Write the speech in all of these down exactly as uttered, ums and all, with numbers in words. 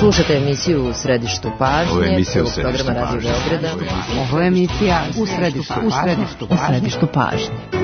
Slušate emisiju U središtu pažnje. Ovo je emisija U središtu programa Radio Beograda. Ovo je emisija U središtu pažnje. U središtu pažnje.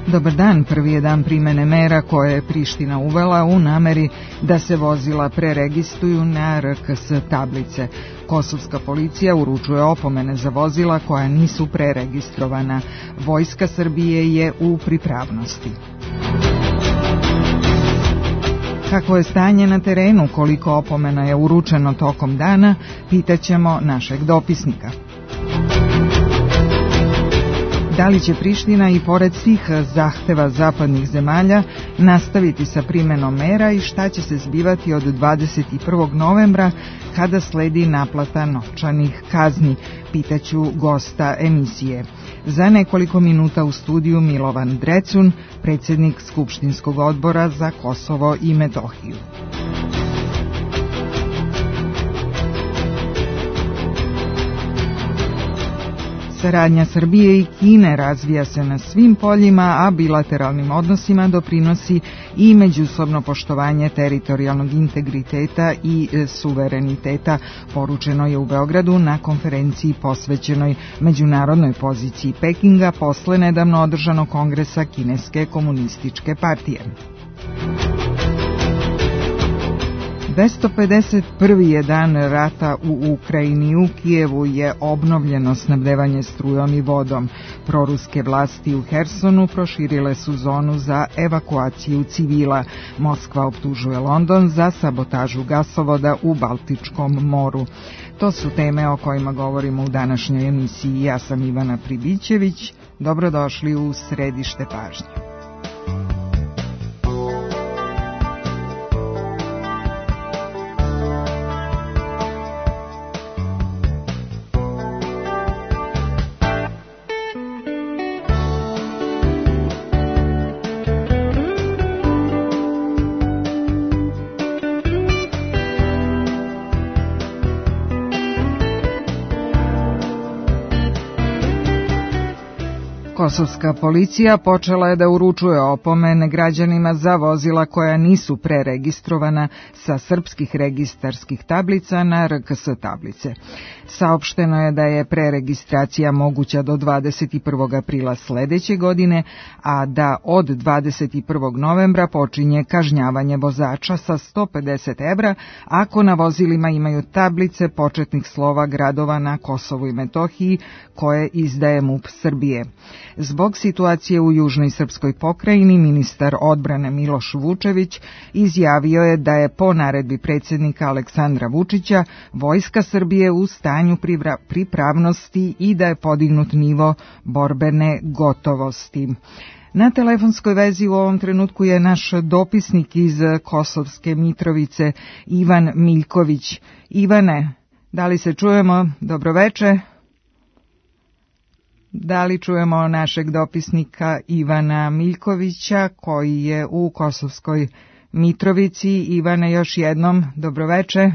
Dobar dan, prvi je dan primene mera koje je Priština uvela u nameri da se vozila preregistruju na R K S tablice. Kosovska policija uručuje opomene za vozila koja nisu preregistrovana. Vojska Srbije je u pripravnosti. Kako je stanje na terenu, koliko opomena je uručeno tokom dana, pitaćemo našeg dopisnika. Da li će Priština i pored svih zahteva zapadnih zemalja nastaviti sa primenom mera i šta će se zbivati od dvadeset prvog novembra kada sledi naplata novčanih kazni, pitaću gosta emisije. Za nekoliko minuta u studiju Milovan Drecun, predsjednik Skupštinskog odbora za Kosovo i Metohiju. Saradnja Srbije i Kine razvija se na svim poljima, a bilateralnim odnosima doprinosi i međusobno poštovanje teritorijalnog integriteta i suvereniteta, poručeno je u Beogradu na konferenciji posvećenoj međunarodnoj poziciji Pekinga posle nedavno održanog kongresa Kineske komunističke partije. dvesta pedeset prvi je dan rata u Ukrajini. U Kijevu je obnovljeno snabdevanje strujom i vodom. Proruske vlasti u Hersonu proširile su zonu za evakuaciju civila. Moskva optužuje London za sabotažu gasovoda u Baltičkom moru. To su teme o kojima govorimo u današnjoj emisiji. Ja sam Ivana Pribićević. Dobrodošli u središte pažnje. Kosovska policija počela je da uručuje opomene građanima za vozila koja nisu preregistrovana sa srpskih registarskih tablica na R K S tablice. Saopšteno je da je preregistracija moguća do dvadeset prvog aprila sledeće godine, a da od dvadeset prvog novembra počinje kažnjavanje vozača sa sto pedeset evra ako na vozilima imaju tablice početnih slova gradova na Kosovu i Metohiji koje izdaje M U P Srbije. Zbog situacije u južnoj srpskoj pokrajini, ministar odbrane Miloš Vučević izjavio je da je po naredbi predsjednika Aleksandra Vučića Vojska Srbije u stanju pripravnosti i da je podignut nivo borbene gotovosti. Na telefonskoj vezi u ovom trenutku je naš dopisnik iz Kosovske Mitrovice, Ivan Miljković. Ivane, da li se čujemo? Dobroveče. Da li čujemo našeg dopisnika Ivana Miljkovića koji je u Kosovskoj Mitrovici? Ivane, još jednom, dobroveče.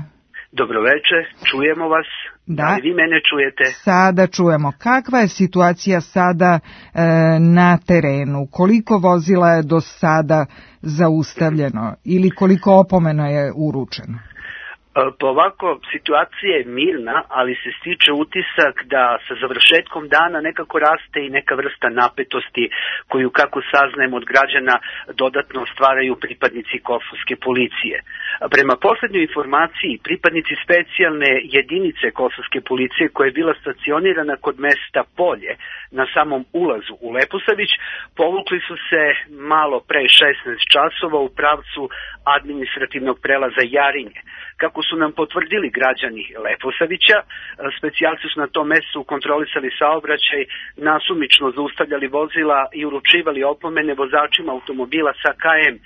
Dobroveče, čujemo vas. Da, da li vi mene čujete? Sada čujemo. Kakva je situacija sada e, na terenu? Koliko vozila je do sada zaustavljeno ili koliko opomena je uručeno? Pa ovako, situacija je mirna, ali se stiče utisak da sa završetkom dana nekako raste i neka vrsta napetosti koju, kako saznajem od građana, dodatno stvaraju pripadnici kosovske policije. Prema poslednjoj informaciji, pripadnici specijalne jedinice kosovske policije koja je bila stacionirana kod mesta Polje na samom ulazu u Leposavić, povukli su se malo pre šesnaest časova u pravcu administrativnog prelaza Jarinje. Kako su nam potvrdili građani Leposavića. Specijalci su na tom mestu kontrolisali saobraćaj, nasumično zaustavljali vozila i uručivali opomene vozačima automobila sa K M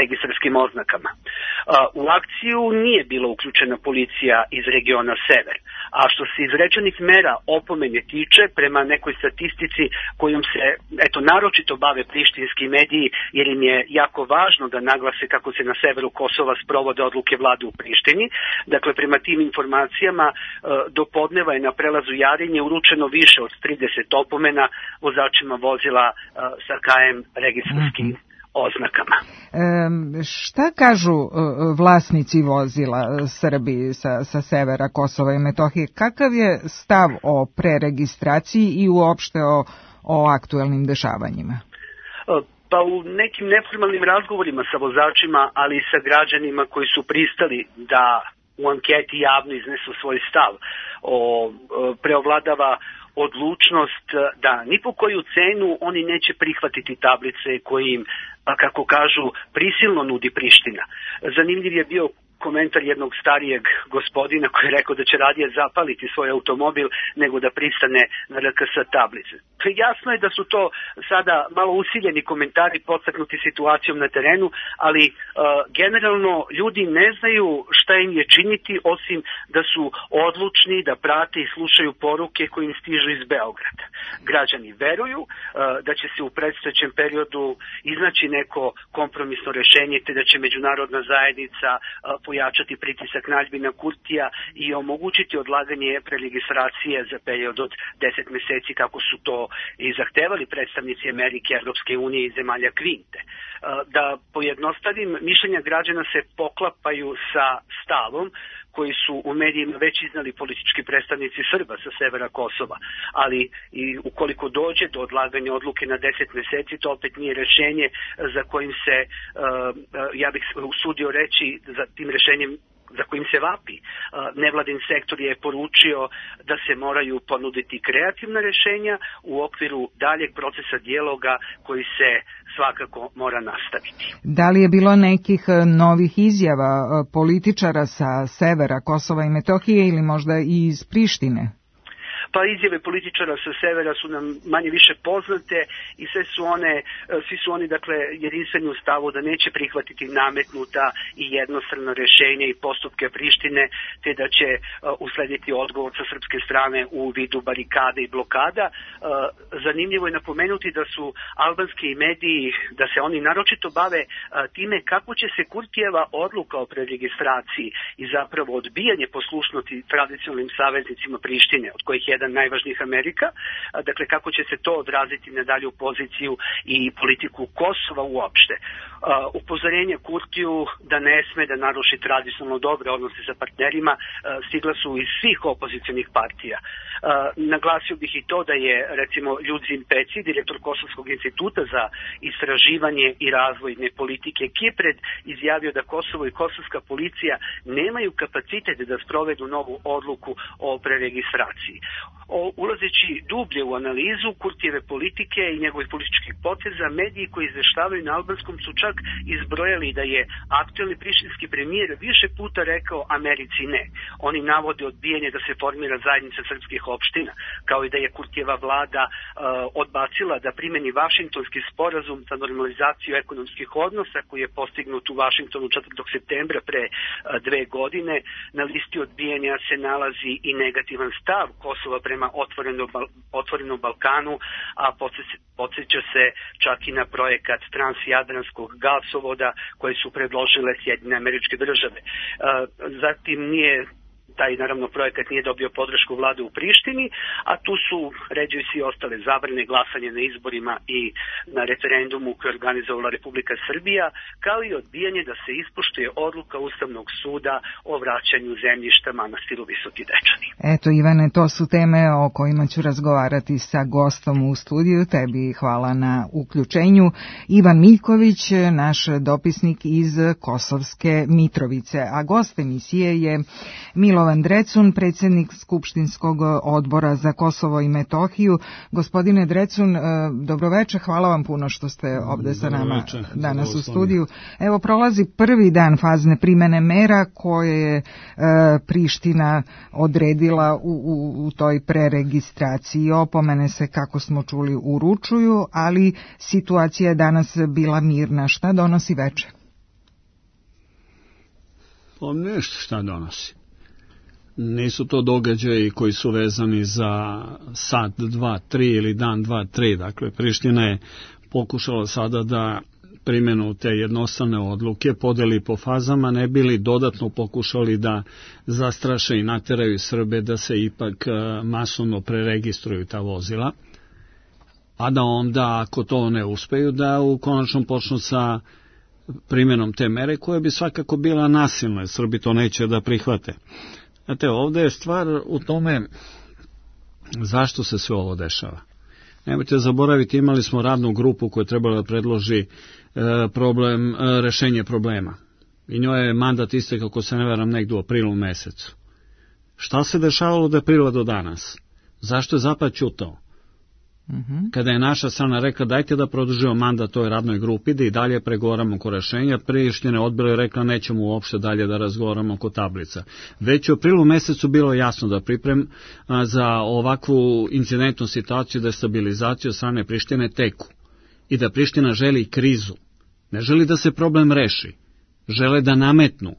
registarskim oznakama. U akciju nije bila uključena policija iz regiona Sever, a što se izrečenih mera opomene tiče, prema nekoj statistici kojom se eto naročito bave prištinski mediji, jer im je jako važno da naglase kako se na severu Kosova sprovode odluke vlade u Prištini. Dakle, prema tim informacijama do podneva je na prelazu Jarinje uručeno više od trideset opomena vozačima vozila sa K M registarskim mm-hmm. oznakama. E, šta kažu e, vlasnici vozila Srbi sa, sa severa Kosova i Metohije? Kakav je stav o preregistraciji i uopšte o, o aktuelnim dešavanjima? Pa u nekim neformalnim razgovorima sa vozačima, ali i sa građanima koji su pristali da u anketi javno iznesu svoj stav, o, preovladava odlučnost da ni po koju cenu oni neće prihvatiti tablice koje im, kako kažu, prisilno nudi Priština. Zanimljiv je bio komentar jednog starijeg gospodina koji je rekao da će radije zapaliti svoj automobil nego da pristane na R K S tablice. Jasno je da su to sada malo usiljeni komentari podstaknuti situacijom na terenu, ali uh, generalno ljudi ne znaju šta im je činiti osim da su odlučni da prate i slušaju poruke koje im stižu iz Beograda. Građani veruju uh, da će se u predstojećem periodu iznaći neko kompromisno rešenje te da će međunarodna zajednica uh, pojačati pritisak na Aljbina Kurtija i omogućiti odlaganje preregistracije za period od deset meseci kako su to i zahtevali predstavnici Amerike, Evropske unije i zemalja Kvinte. Da pojednostavim, mišljenja građana se poklapaju sa stavom koji su u medijima već iznali politički predstavnici Srba sa severa Kosova, ali i ukoliko dođe do odlaganja odluke na deset meseci, to opet nije rešenje za kojim se, ja bih usudio reći, za tim rešenjem za kojim se vapi. Nevladin sektor je poručio da se moraju ponuditi kreativna rešenja u okviru daljeg procesa dijaloga koji se svakako mora nastaviti. Da li je bilo nekih novih izjava političara sa severa Kosova i Metohije ili možda i iz Prištine? Pa izjave političara sa severa su nam manje više poznate i sve su one, svi su oni dakle jedinstveni u stavu da neće prihvatiti nametnuta i jednostrano rešenje i postupke Prištine, te da će uh, uslediti odgovor sa srpske strane u vidu barikade i blokada. Uh, zanimljivo je napomenuti da su albanski mediji, da se oni naročito bave uh, time kako će se Kurtijeva odluka o preregistraciji i zapravo odbijanje poslušnosti tradicionalnim saveznicima Prištine, od kojih je jedan najvažnijih Amerika, dakle kako će se to odraziti na dalju poziciju i politiku Kosova uopšte. Upozorenje Kurtiju da ne sme da naruši tradicionalno dobre odnose sa partnerima stigla su iz svih opozicionih partija. Naglasio bih i to da je recimo Ljudzin Peci, direktor Kosovskog instituta za istraživanje i razvojne politike Kipred, izjavio da Kosovo i kosovska policija nemaju kapacitet da sprovedu novu odluku o preregistraciji. O, ulazeći dublje u analizu Kurtijeve politike i njegovih političkih poteza, mediji koji izveštavaju na albanskom su čak izbrojali da je aktuelni prištinski premijer više puta rekao Americi ne. Oni navode odbijanje da se formira zajednica srpskih opština, kao i da je Kurtijeva vlada uh, odbacila da primeni Vašingtonski sporazum za normalizaciju ekonomskih odnosa koji je postignut u Vašingtonu četvrtog septembra pre uh, dve godine. Na listi odbijanja se nalazi i negativan stav Kosova prema otvorenom, otvorenom Balkanu, a podsjeća se čak i na projekat transjadranskog gasovoda koji su predložile Sjedinjene Američke Države. Uh, zatim nije taj naravno projekat nije dobio podršku vlade u Prištini, a tu su ređaju svi ostale zabrane, glasanje na izborima i na referendumu koji je organizovala Republika Srbija, kao i odbijanje da se ispoštuje odluka Ustavnog suda o vraćanju zemljišta manastiru Visoki Dečani. Eto Ivane, to su teme o kojima ću razgovarati sa gostom u studiju. Tebi hvala na uključenju. Ivan Miljković, naš dopisnik iz Kosovske Mitrovice, a gost emisije je Milo Milovan Drecun, predsjednik Skupštinskog odbora za Kosovo i Metohiju. Gospodine Drecun, dobroveče, hvala vam puno što ste ovde sa nama Dobroveče, danas u studiju. Evo, prolazi prvi dan fazne primene mera koje je e, Priština odredila u, u, u toj preregistraciji. Opomene se, kako smo čuli, uručuju, ali situacija je danas bila mirna. Šta donosi veče? Pa nešto šta donosi. Nisu to događaji koji su vezani za sat, dva, tri ili dan, dva, tri. Dakle, Priština je pokušala sada da primjenu te jednostavne odluke podeli po fazama, ne bili dodatno pokušali da zastraše i nateraju Srbe da se ipak masovno preregistruju ta vozila, a da onda, ako to ne uspeju, da u konačnom počnu sa primjenom te mere, koja bi svakako bila nasilna, Srbi to neće da prihvate. Znate, ovdje je stvar u tome zašto se sve ovo dešava. Nemojte zaboraviti, imali smo radnu grupu koja je trebala da predloži e, problem, e, rešenje problema. I njoj je mandat istekao, ako se ne varam, negdje u aprilu mesecu. Šta se dešavalo od aprila do danas? Zašto je Zapad ćutao? Mm-hmm. Kada je naša strana rekla dajte da produžimo mandat toj radnoj grupi, da i dalje pregovaramo oko rešenja, Priština odbila i rekla nećemo uopšte dalje da razgovaramo oko tablica. Već u aprilu mesecu bilo jasno da priprem a, za ovakvu incidentnu situaciju, destabilizaciju od strane Prištine teku. I da Priština želi krizu. Ne želi da se problem reši. Žele da nametnu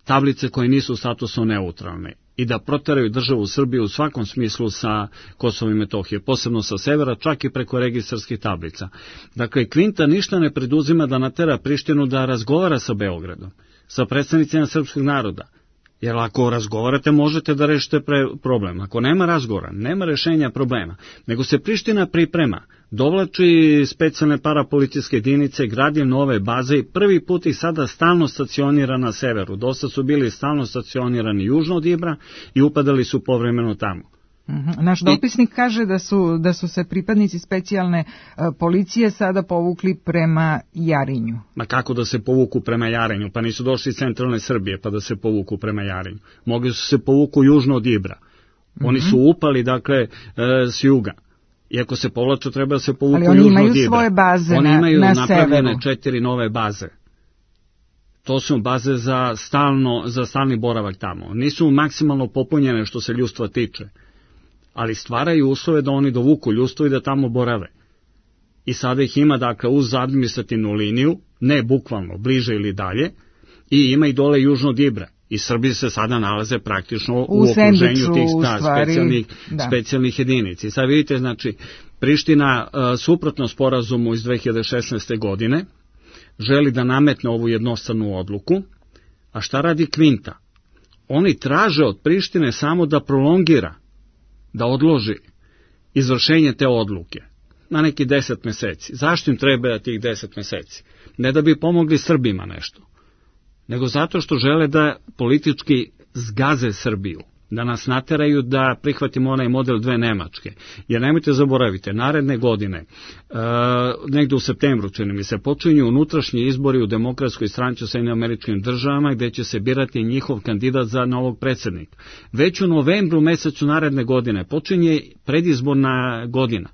tablice koje nisu u statusu neutralne i da proteraju državu Srbiju u svakom smislu sa Kosovom i Metohije, posebno sa severa, čak i preko registarskih tablica. Dakle, Kvinta ništa ne preduzima da natera Prištinu da razgovara sa Beogradom, sa predstavnicima srpskog naroda. Jer ako razgovarate, možete da rešite problem. Ako nema razgovora, nema rešenja problema, nego se Priština priprema, dovlači specijalne parapolicijske jedinice, gradi nove baze i prvi put ih sada stalno stacionira na severu. Dosta su bili stalno stacionirani južno od Ibra i upadali su povremeno tamo. Naš dopisnik kaže da su, da su se pripadnici specijalne uh, policije sada povukli prema Jarinju. Ma kako da se povuku prema Jarinju? Pa nisu došli iz centralne Srbije pa da se povuku prema Jarinju. Mogli su se povuku južno od Ibra. Oni su upali, dakle, uh, s juga. Iako se povlaču, treba da se povuku južno od Ibra. Ali oni imaju svoje baze oni na, imaju na napravljene severu. četiri nove baze. To su baze za, stalno, za stalni boravak tamo. Nisu maksimalno popunjene što se ljudstva tiče, ali stvaraju uslove da oni dovuku ljudstvo i da tamo borave. I sada ih ima, dakle, uz administrativnu liniju, ne bukvalno, bliže ili dalje, i ima i dole južno od Ibra. I Srbi se sada nalaze praktično u, u okruženju tih da, specijalnih, da. specijalnih jedinica. I sad vidite, znači, Priština, uh, suprotno sporazumu iz dve hiljade šesnaeste. godine, želi da nametne ovu jednostavnu odluku, a šta radi Kvinta? Oni traže od Prištine samo da prolongira, da odloži izvršenje te odluke na neki deset meseci. Zašto im treba tih deset meseci? Ne da bi pomogli Srbima nešto, nego zato što žele da politički zgaze Srbiju, da nas nateraju da prihvatimo onaj model dve Nemačke. Jer nemojte zaboravite, naredne godine, e, negde u septembru, čini mi se, počinju unutrašnji izbori u Demokratskoj stranci u Sjedinjenim Američkim Državama, gde će se birati njihov kandidat za novog predsjednika. Već u novembru mesecu naredne godine počinje predizborna godina.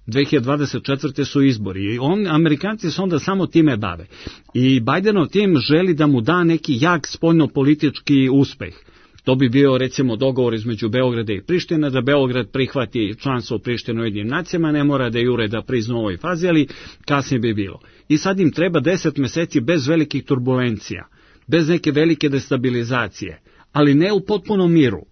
dve hiljade dvadeset četvrte. su izbori i on, Amerikanci se onda samo time bave. I Bajdenov tim želi da mu da neki jak spoljnopolitički uspeh. To bi bio, recimo, dogovor između Beograda i Prištine, da Beograd prihvati članstvo u Prištinu u Ujedinjenim nacijama, ne mora da jure da prizna u ovoj fazi, ali kasnije bi bilo. I sad im treba deset meseci bez velikih turbulencija, bez neke velike destabilizacije, ali ne u potpunom miru.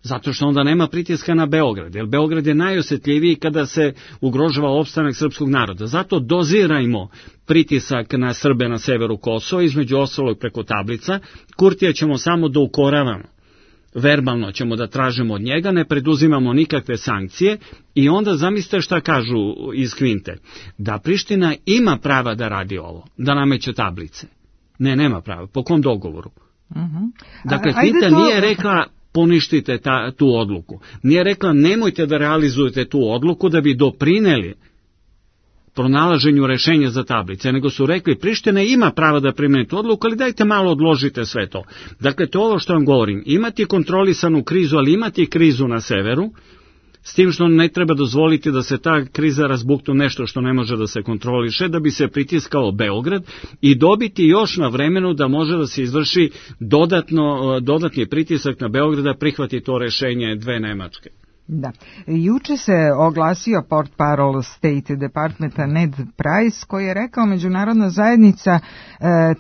Zato što onda nema pritiska na Beograd, jer Beograd je najosjetljiviji kada se ugrožava opstanak srpskog naroda. Zato dozirajmo pritisak na Srbe na severu Kosova, između ostalog preko tablica. Kurtija ćemo samo da ukoravamo. Verbalno ćemo da tražimo od njega, ne preduzimamo nikakve sankcije i onda zamislite šta kažu iz Kvinte. Da Priština ima prava da radi ovo, da nameće tablice. Ne, nema prava. Po kom dogovoru? Uh-huh. Dakle, Kvinta to... nije rekla poništite ta, tu odluku. Nije rekla nemojte da realizujete tu odluku da bi doprineli pronalaženju rešenja za tablice, nego su rekli Priština ima prava da primeni tu odluku, ali dajte malo odložite sve to. Dakle, to je ovo što vam govorim. Imati kontrolisanu krizu, ali imati krizu na severu, s tim što ne treba dozvoliti da se ta kriza razbukne nešto što ne može da se kontroliše, da bi se pritiskao Beograd i dobiti još na vremenu da može da se izvrši dodatno, dodatni pritisak na Beograd da prihvati to rešenje dve Nemačke. Da. Juče se oglasio portparol State Departmenta Ned Price koji je rekao međunarodna zajednica e,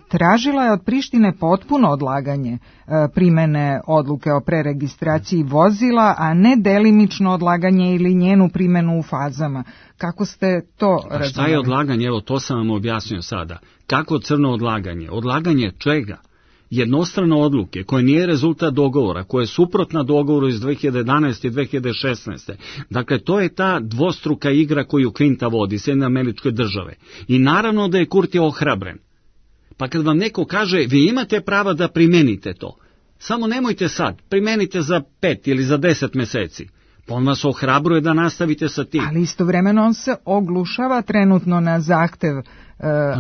tražila je od Prištine potpuno odlaganje e, primene odluke o preregistraciji vozila, a ne delimično odlaganje ili njenu primenu u fazama. Kako ste to razumeli? A šta je odlaganje? Evo, to sam vam objasnio sada. Kako crno odlaganje? Odlaganje čega? Jednostrane odluke koje nije rezultat dogovora, koje je suprotna dogovoru iz dve hiljade jedanaeste i dve hiljade šesnaeste. Dakle, to je ta dvostruka igra koju Klinta vodi, Sjedinjene Američke Države. I naravno da je Kurti ohrabren. Pa kad vam neko kaže, vi imate prava da primenite to, samo nemojte sad, primenite za pet ili za deset meseci. Pa on vas ohrabruje da nastavite sa tim. Ali istovremeno on se oglušava trenutno na zahtev uh,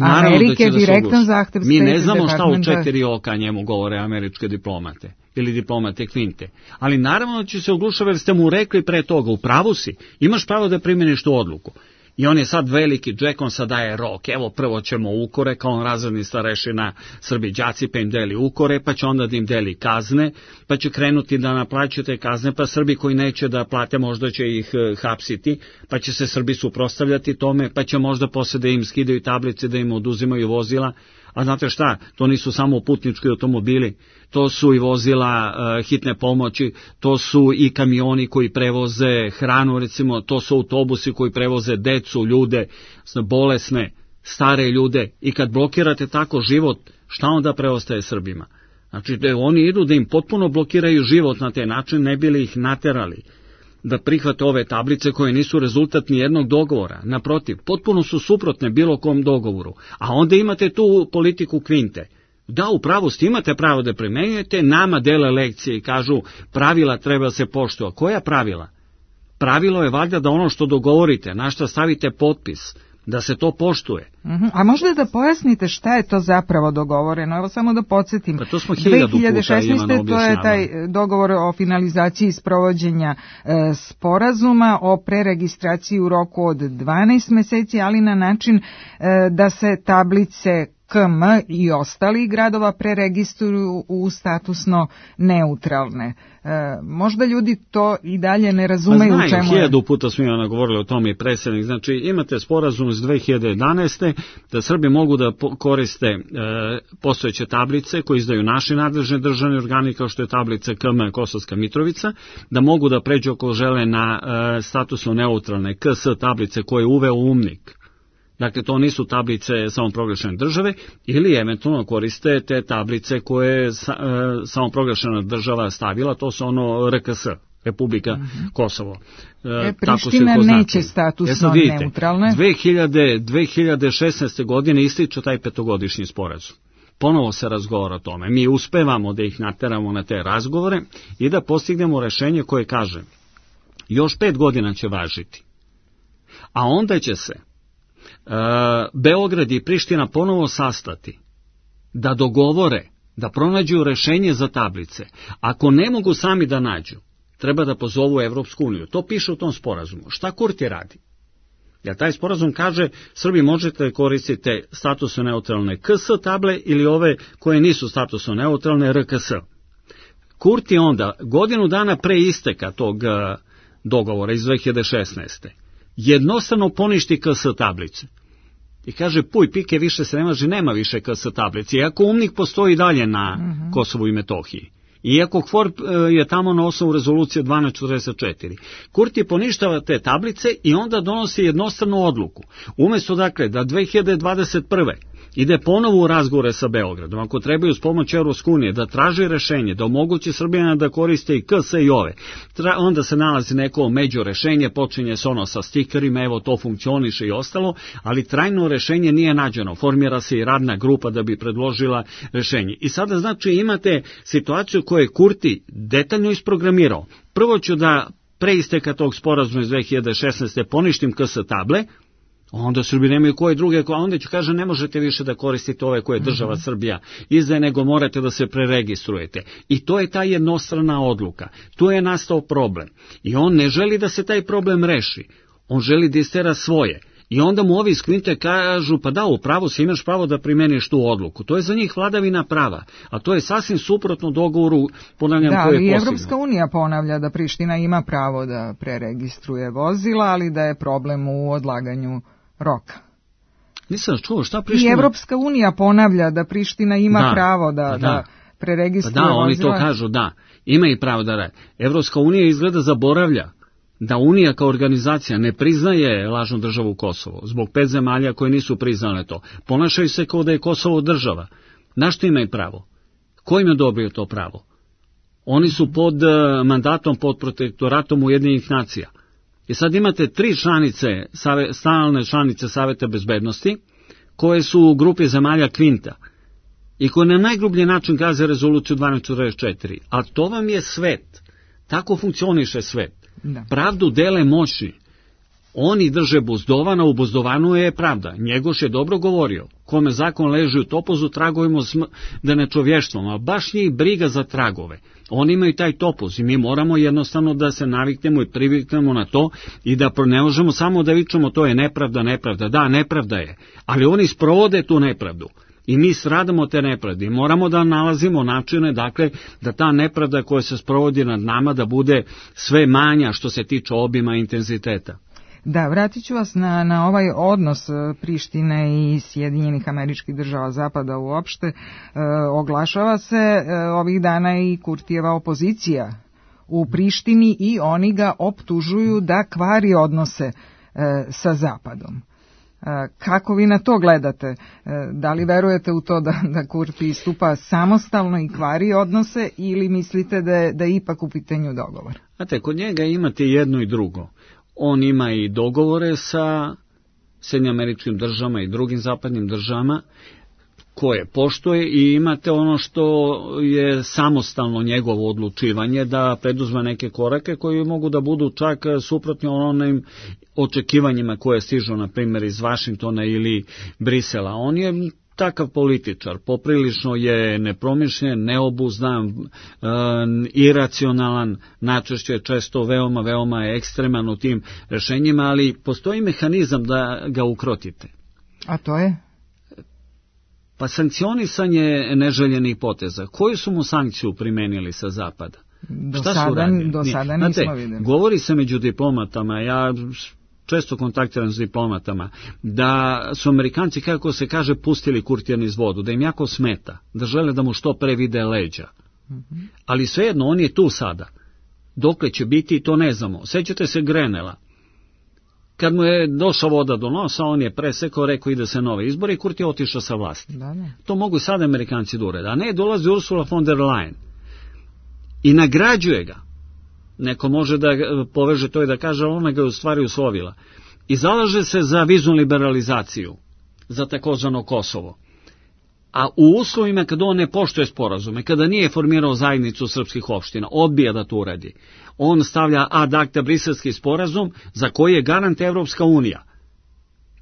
Amerike, da direktan zahtev Mi ne znamo šta u četiri oka njemu govore američke diplomate ili diplomate Kvinte. Ali naravno da će se oglušava jer ste mu rekli pre toga, u pravu si, imaš pravo da primeniš tu odluku. I on je sad veliki džek, on sad daje rok, evo prvo ćemo ukore, kao on razredni starešina Srbi đaci, pa im deli ukore, pa će onda da im deli kazne, pa će krenuti da naplaćuju te kazne, pa Srbi koji neće da plate možda će ih hapsiti, pa će se Srbi suprotstavljati tome, pa će možda posle da im skidaju tablice, da im oduzimaju vozila. A znate šta, to nisu samo putnički automobili, to su i vozila uh, hitne pomoći, to su i kamioni koji prevoze hranu, recimo, to su autobusi koji prevoze decu, ljude, bolesne, stare ljude. I kad blokirate tako život, šta onda preostaje Srbima? Znači, da oni idu da im potpuno blokiraju život na te način, ne bi li ih naterali da prihvate ove tablice koje nisu rezultat ni jednog dogovora. Naprotiv, potpuno su suprotne bilo kom dogovoru. A onda imate tu politiku Kvinte. Da, u pravosti imate pravo da primenjujete, nama dele lekcije i kažu pravila treba da se poštuju. A koja pravila? Pravilo je valjda da ono što dogovorite, na šta stavite potpis, da se to poštuje. Uh-huh. A možda da pojasnite šta je to zapravo dogovoreno? Evo samo da podsjetim. Pa to smo hiljadu puta dve hiljade šesnaeste. To je taj dogovor o finalizaciji sprovođenja e, sporazuma o preregistraciji u roku od dvanaest meseci, ali na način e, da se tablice K M i ostali gradova preregistruju u statusno neutralne. E, možda ljudi to i dalje ne razumeju. Pa znaju, u čemu je. Hiljadu puta smo imali govorili o tome i predsjednik. Znači imate sporazum iz dve hiljade jedanaeste. da Srbi mogu da koriste e, postojeće tablice koje izdaju naši nadležni državni organi kao što je tablica K M Kosovska Mitrovica, da mogu da pređu ako žele na e, statusno neutralne K S tablice koje je uveo UMNIK. Dakle, to nisu tablice samoproglašene države ili eventualno koriste te tablice koje je sa, e, samoproglašena država stavila, to su ono R K S, Republika uh-huh. Kosovo. E, e, Priština neće statusno e, neutralne. dve hiljade šesnaeste. godine ističe taj petogodišnji sporazum. Ponovo se razgovara o tome. Mi uspevamo da ih nateramo na te razgovore i da postignemo rešenje koje kaže još pet godina će važiti, a onda će se Uh, Beograd i Priština ponovo sastati, da dogovore, da pronađu rešenje za tablice. Ako ne mogu sami da nađu, treba da pozovu Evropsku uniju. To piše u tom sporazumu. Šta Kurti radi? Jer taj sporazum kaže, Srbi možete koristiti statusno neutralne K S table ili ove koje nisu statusno neutralne R K S. Kurti onda, godinu dana pre isteka tog uh, dogovora iz dve hiljade šesnaeste. jednostavno poništi K S tablice. I kaže, puj, pike, više se ne može, nema više K S tablice. Iako UMNIK postoji dalje na uh-huh. Kosovu i Metohiji. Iako KFOR je tamo na osnovu rezolucije dvanaest četrdeset četiri. Kurti poništava te tablice i onda donosi jednostranu odluku. Umjesto, dakle, da dve hiljade dvadeset prve. ide ponovo u razgovore sa Beogradom, ako trebaju s pomoć Evropske unije da traži rešenje, da omogući Srbijana da koriste i K S i ove, Tra, onda se nalazi neko među rešenje, počinje se ono sa stikerima, evo to funkcioniše i ostalo, ali trajno rešenje nije nađeno, formira se i radna grupa da bi predložila rešenje. I sada znači imate situaciju koju je Kurti detaljno isprogramirao. Prvo ću da pre isteka tog sporazuma iz dve hiljade šesnaeste poništim K S table, Onda Srbi nemaju koje druge, a onda ću kaže ne možete više da koristite ove koje država uh-huh. Srbija izdaje, nego morate da se preregistrujete. I to je ta jednostrana odluka. Tu je nastao problem. I on ne želi da se taj problem reši. On želi da istera svoje. I onda mu ovi iz Kvinte kažu, pa da, u pravu si, imaš pravo da primeniš tu odluku. To je za njih vladavina prava, a to je sasvim suprotno dogovoru, ponavljam, da, koje je postignuo. Da, i Evropska unija ponavlja da Priština ima pravo da preregistruje vozila, ali da je problem u odlaganju roka. Nisam čuo, šta Priština? I Evropska unija ponavlja da Priština ima da, pravo da, da, da preregistruje pa da, vozila. oni to kažu, da, ima i pravo da rade. Evropska unija izgleda zaboravlja da Unija kao organizacija ne priznaje lažnu državu Kosovo, zbog pet zemalja koje nisu priznale to. Ponašaju se kao da je Kosovo država. Na što imaju pravo? Ko im je odobrio to pravo? Oni su pod mandatom, pod protektoratom Ujedinjenih nacija. I sad imate tri članice, stalne članice Saveta bezbednosti, koje su u grupi zemalja Kvinta i koje na najgrublji način gaze rezoluciju dvanaest četrdeset četiri. A to vam je svet. Tako funkcioniše svet. Da. Pravdu dele moćni. Oni drže buzdovana, u buzdovanu je pravda. Njegoš je dobro govorio. Kome zakon leži u topuzu, tragovimo sm... da ne čovještvom, a baš njih briga za tragove. Oni imaju taj topuz i mi moramo jednostavno da se naviknemo i priviknemo na to i da ne možemo samo da vičemo to je nepravda, nepravda. Da, nepravda je, ali oni sprovode tu nepravdu. I mi stradamo te nepravde i moramo da nalazimo načine, dakle, da ta nepravda koja se sprovodi nad nama da bude sve manja što se tiče obima i intenziteta. Da, vratit ću vas na, na ovaj odnos Prištine i Sjedinjenih Američkih Država Zapada uopšte. E, oglašava se e, ovih dana i Kurtijeva opozicija u Prištini i oni ga optužuju da kvari odnose e, sa Zapadom. Kako vi na to gledate? Da li verujete u to da, da Kurti istupa samostalno i kvari odnose ili mislite da je, da je ipak u pitanju dogovor? Znate, kod njega imate jedno i drugo. On ima i dogovore sa Sjedinjenim Američkim Državama i drugim zapadnim državama koje poštuje i imate ono što je samostalno njegovo odlučivanje da preduzme neke korake koji mogu da budu čak suprotni onim očekivanjima koje stižu, na primjer, iz Vašingtona ili Brisela. On je takav političar, poprilično je nepromišljen, neobuzdan, e, iracionalan, najčešće često veoma, veoma ekstreman u tim rešenjima, ali postoji mehanizam da ga ukrotite. A to je? Pa sankcionisanje neželjenih poteza. Koju su mu sankciju primenili sa Zapada? Do Šta sada, su radili? do sada nismo Znate, videli. Govori se među diplomatama, ja često kontaktiram s diplomatama, da su Amerikanci, kako se kaže, pustili Kurtija niz vodu, da im jako smeta, da žele da mu što pre vide leđa. Mm-hmm. Ali svejedno, on je tu sada. Dokle će biti, to ne znamo. Sećate se Grenela. Kad mu je došla voda do nosa, on je presekao, rekao ide se nove izbore i Kurti je otišao sa vlasti. Da, da. To mogu i sada Amerikanci da urede. A ne, dolazi Ursula von der Leyen i nagrađuje ga. Neko može da poveže to i da kaže, ona ga je u stvari uslovila. I zalaže se za viznu liberalizaciju, za takozvano Kosovo. A u uslovima kada on ne poštuje sporazume, kada nije formirao zajednicu srpskih opština, odbija da to uradi. On stavlja ad acta briselski sporazum za koji je garant Evropska unija.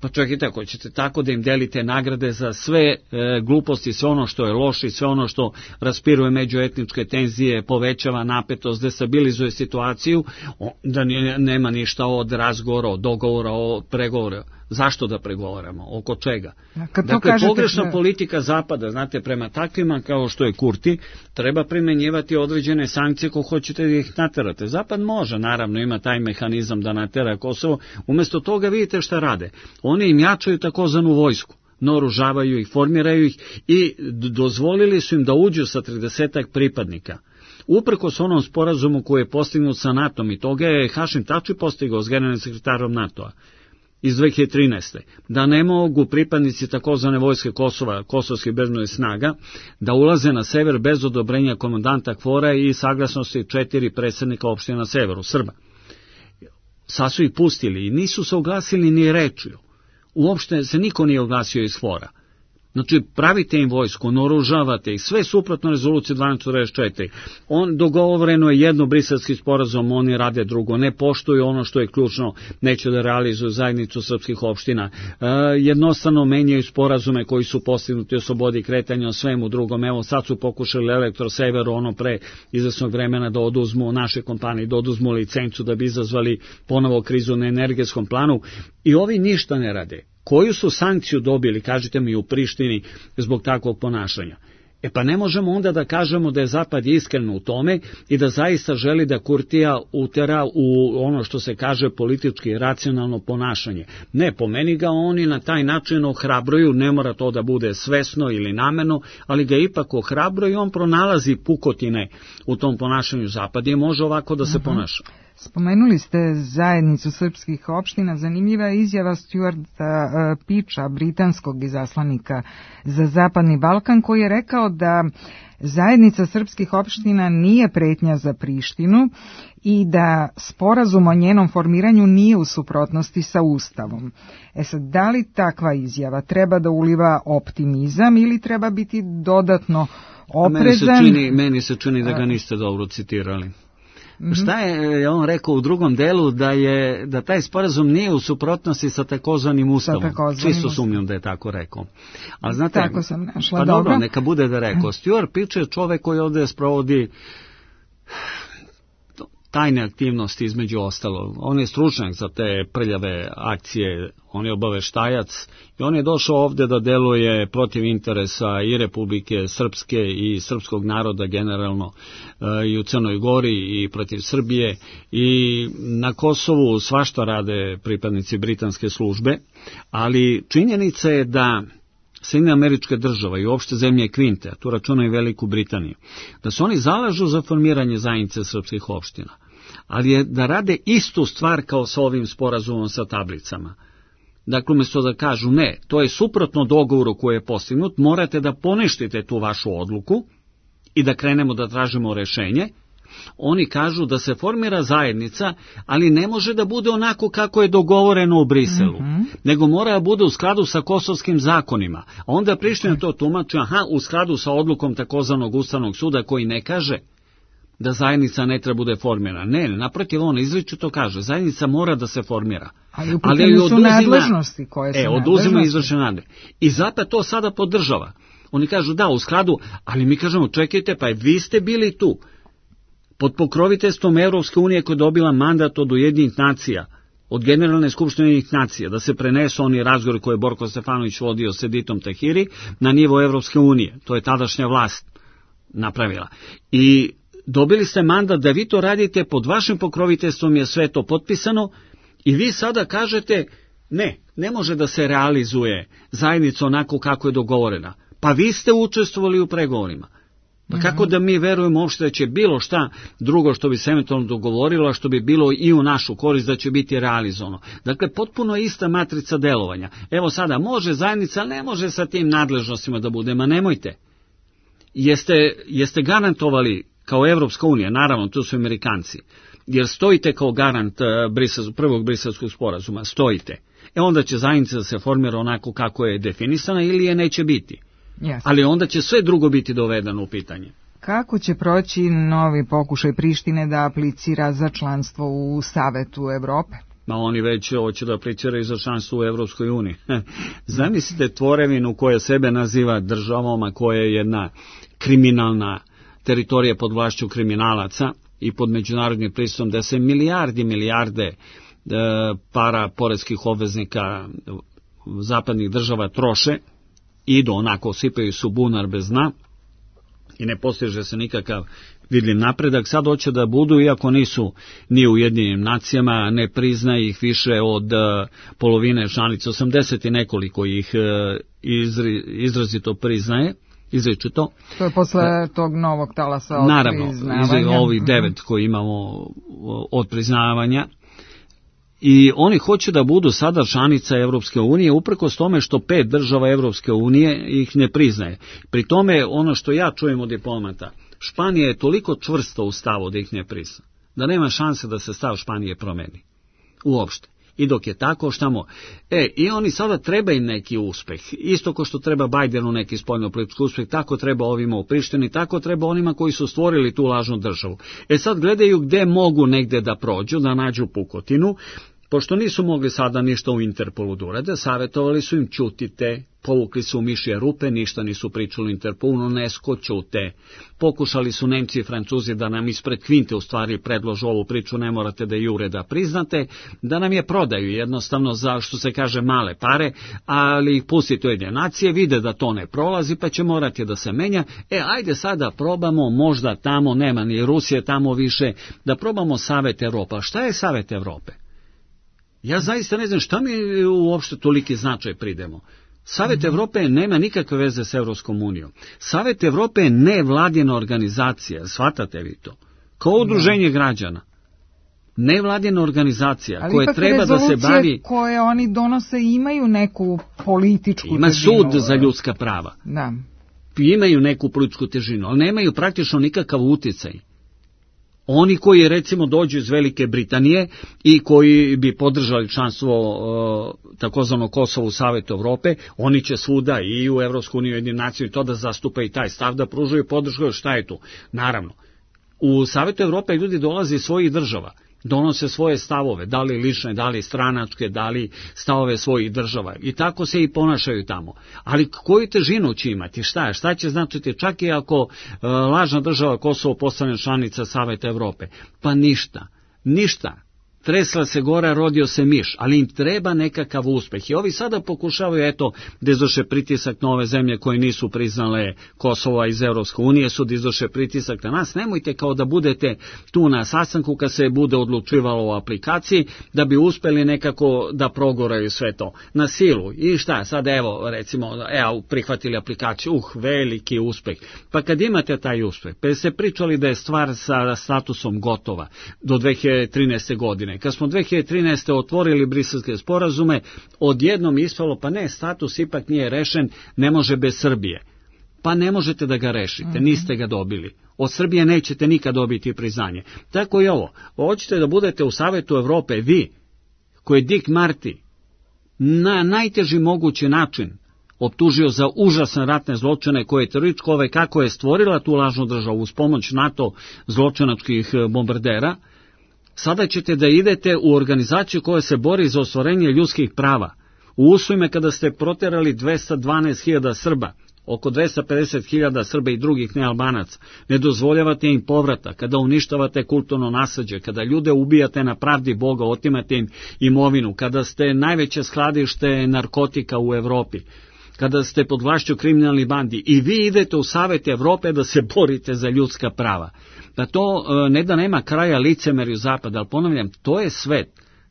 Pa čekajte, ako ćete tako da im delite nagrade za sve e, gluposti, sve ono što je loše, sve ono što raspiruje međuetničke tenzije, povećava napetost, destabilizuje situaciju, da nema ništa od razgovora, od dogovora, od pregovora. Zašto da pregovaramo? Oko čega? Dakle, pogrešna da... politika Zapada, znate, prema takvima kao što je Kurti, treba primenjivati određene sankcije ko hoćete da ih naterate. Zapad može, naravno, ima taj mehanizam da natera Kosovo. Umjesto toga vidite šta rade. Oni im jačaju takozvanu vojsku, naoružavaju ih, formiraju ih i dozvolili su im da uđu sa tridesetak pripadnika. Uprkos onom sporazumu koji je postignut sa NATO-om i toga je Hašim Tači postigao s generalnim sekretarom NATO-a iz dve hiljade trinaeste. Da ne mogu pripadnici takozvane vojske Kosova, kosovskih bezbednosnih snaga, da ulaze na sever bez odobrenja komandanta KFOR-a i saglasnosti četiri predsjednika opštine na severu, Srba. Sad su ih pustili i nisu se oglasili ni rečju. Uopšte se niko nije oglasio iz KFOR-a. Znači, pravite im vojsku, naoružavate ih, sve suprotno rezoluciji dvanaest četrdeset četiri. On, dogovoreno je jedno briselski sporazum, oni rade drugo, ne poštuju ono što je ključno, neće da realizuju zajednicu srpskih opština, e, jednostavno menjaju sporazume koji su postignuti o slobodi kretanja, o svemu drugom. Evo, sad su pokušali Elektroseveru ono pre izvesnog vremena da oduzmu naše kompanije, da oduzmu licencu da bi izazvali ponovo krizu na energetskom planu i ovi ništa ne rade. Koju su sankciju dobili, kažite mi, u Prištini zbog takvog ponašanja? E pa ne možemo onda da kažemo da je Zapad iskren u tome i da zaista želi da Kurtija utera u ono što se kaže politički racionalno ponašanje. Ne, po meni ga oni na taj način ohrabruju, ne mora to da bude svesno ili namerno, ali ga ipak ohrabruju i on pronalazi pukotine u tom ponašanju Zapada i može ovako da se uh-huh. ponaša. Spomenuli ste zajednicu srpskih opština. Zanimljiva je izjava Stuarta Piča, britanskog izaslanika za Zapadni Balkan, koji je rekao da zajednica srpskih opština nije pretnja za Prištinu i da sporazum o njenom formiranju nije u suprotnosti sa Ustavom. E sad, da li takva izjava treba da uliva optimizam ili treba biti dodatno oprezan? Meni se čini, meni se čini da ga niste dobro citirali. Mm-hmm. Šta je on rekao u drugom delu, da je da taj sporazum nije u suprotnosti sa takozvanim ustavom. Čisto sumnjam da je tako rekao. Ali znate, tako sam našla, pa dobro. dobro, neka bude da rekao. Stuart Pič je čovek koji ovde sprovodi tajne aktivnosti između ostalo. On je stručnjak za te prljave akcije, on je obaveštajac i on je došao ovde da deluje protiv interesa i Republike Srpske i srpskog naroda generalno i u Crnoj Gori i protiv Srbije i na Kosovu svašta rade pripadnici britanske službe, ali činjenica je da Sjedinjene Američke Države i uopšte zemlje Kvinte, a tu računaju i Veliku Britaniju, da se oni zalažu za formiranje zajednice srpskih opština, ali je da rade istu stvar kao sa ovim sporazumom sa tablicama. Dakle, umjesto da kažu ne, to je suprotno dogovoru koji je postignut, morate da poništite tu vašu odluku i da krenemo da tražimo rešenje, oni kažu da se formira zajednica, ali ne može da bude onako kako je dogovoreno u Briselu, mm-hmm. nego mora da bude u skladu sa kosovskim zakonima. A onda Priština to tumači, aha, u skladu sa odlukom takozvanog Ustavnog suda koji ne kaže da zajednica ne treba bude formirana. Ne, naprotiv, on izričito kaže, zajednica mora da se formira. Ali u pitanju su oduzima, nadležnosti koje su e, oduzima izvršne nadležnosti. I Zapad to sada podržava. Oni kažu da, u skladu, ali mi kažemo, čekajte, pa vi ste bili tu. Pod pokroviteljstvom Evropske unije koja je dobila mandat od Ujedinjenih nacija, od Generalne skupštine Ujedinjenih nacija, da se prenesu oni razgovori koje je Borko Stefanović vodio s Editom Tahiri na nivo Evropske unije. To je tadašnja vlast napravila. I dobili ste mandat da vi to radite, pod vašim pokroviteljstvom je sve to potpisano i vi sada kažete ne, ne može da se realizuje zajednica onako kako je dogovorena. Pa vi ste učestvovali u pregovorima. Pa kako da mi verujemo uopšte da će bilo šta drugo što bi se eventualno dogovorilo, a što bi bilo i u našu korist da će biti realizovano. Dakle, potpuno ista matrica delovanja. Evo sada, može zajednica, ali ne može sa tim nadležnostima da bude, ma nemojte. Jeste, jeste garantovali kao Evropska unija, naravno, tu su Amerikanci, jer stojite kao garant Brisel, prvog briselskog sporazuma, stojite. E onda će zajednica da se formira onako kako je definisana ili je neće biti. Yes. Ali onda će sve drugo biti dovedeno u pitanje. Kako će proći novi pokušaj Prištine da aplicira za članstvo u Savetu Evrope? Ma oni već hoće da apliciraju za članstvo u Evropskoj uniji. Zamislite tvorevinu koja sebe naziva državom, a koja je jedna kriminalna teritorija pod vlašću kriminalaca i pod međunarodnim pristupom, da se milijardi, milijarde e, para poreskih obveznika zapadnih država troše, idu onako, sipaju su bunar bez dna i ne postiže se nikakav vidljiv napredak. Sad hoće da budu, iako nisu ni u Ujedinjenim nacijama, ne priznaje ih više od uh, polovine članica, osamdeset i nekoliko ih uh, izri, izrazito priznaje, izričito. To je posle tog novog talasa od Naravno, priznavanja. Naravno, ovih devet koji imamo od priznavanja. I oni hoće da budu sada članica Evropske unije, uprkos tome što pet država Evropske unije ih ne priznaje. Pri tome, ono što ja čujem od diplomata, Španija je toliko čvrsta u stavu da ih ne prizna, da nema šanse da se stav Španije promeni. Uopšte. I dok je tako, šta mo... E, i oni sada treba im neki uspeh. Isto ko što treba Bajdenu neki spoljnopolitički uspeh, tako treba ovima u Prištini, tako treba onima koji su stvorili tu lažnu državu. E sad gledaju gde mogu negde da prođu, da nađu pukotinu. Pošto nisu mogli sada ništa u Interpolu da urade, savjetovali su im ćutite, povukli su u mišje rupe, ništa nisu pričali u Interpolu, UNESCO ćute. Pokušali su Nemci i Francuzi da nam ispred kvinte u stvari predložu ovu priču, ne morate da jure da priznate, da nam je prodaju jednostavno za, što se kaže, male pare, ali ih pustite u jedne nacije, vide da to ne prolazi, pa će morati da se menja. E, ajde sada probamo, možda tamo, nema ni Rusije tamo više, da probamo Savet Evropa. Šta je Savet Evrope? Ja zaista ne znam šta mi uopšte toliki značaj pridemo. Savet Evrope nema nikakve veze s Evropskom unijom. Savet Evrope je nevladina organizacija, shvatate vi to? Kao udruženje građana. Nevladina organizacija ali koja treba da se bavi... koje oni donose imaju neku političku Ima težinu. Ima sud za ljudska prava. Da. Imaju neku političku težinu, ali nemaju praktično nikakav uticaj. Oni koji recimo dođu iz Velike Britanije i koji bi podržali članstvo e, takozvano Kosovo u Savetu Evrope, oni će svuda i u Evropsku uniju i Ujedinjene nacije i to da zastupa i taj stav, da pružaju podršku. Šta je tu? Naravno, u Savetu Evrope ljudi dolaze iz svojih država, donose svoje stavove, da li lične, da li stranačke, da li stavove svojih država i tako se i ponašaju tamo. Ali koju težinu će imati? Šta je? Šta će značiti čak i ako e, lažna država Kosovo postane članica Saveta Evrope? Pa ništa, ništa. Tresla se gora, rodio se miš, ali im treba nekakav uspeh. I ovi sada pokušavaju, eto, da izvrše pritisak na ove zemlje koje nisu priznale Kosova iz Evropske unije, su da izvrše pritisak na nas. Nemojte kao da budete tu na sastanku kad se bude odlučivalo o aplikaciji, da bi uspeli nekako da progoraju sve to na silu. I šta, sad evo, recimo, evo, prihvatili aplikaciju, uh, veliki uspeh. Pa kad imate taj uspeh, pa ste pričali da je stvar sa statusom gotova do dve hiljade trinaeste. godine. Kad smo dve hiljade trinaeste. otvorili briselske sporazume, odjednom ispalo, pa ne, status ipak nije rešen, ne može bez Srbije. Pa ne možete da ga rešite, niste ga dobili. Od Srbije nećete nikad dobiti priznanje. Tako i ovo. Hoćete da budete u Savetu Evrope, vi, koji je Dick Marty na najteži mogući način optužio za užasne ratne zločine koje je terorističko ove kako je stvorila tu lažnu državu uz pomoć NATO zločinačkih bombardera, sada ćete da idete u organizaciju koja se bori za ostvarenje ljudskih prava. U uslovima kada ste proterali dvesta dvanaest hiljada Srba, oko dvesta pedeset hiljada Srba i drugih nealbanaca, ne dozvoljavate im povrata, kada uništavate kulturno nasleđe, kada ljude ubijate na pravdi Boga, otimate im imovinu, kada ste najveće skladište narkotika u Evropi, kada ste pod vlašću kriminalnih bandi i vi idete u Savet Evrope da se borite za ljudska prava. Da to ne da nema kraja licemerju Zapada, ali ponavljam, to je svet.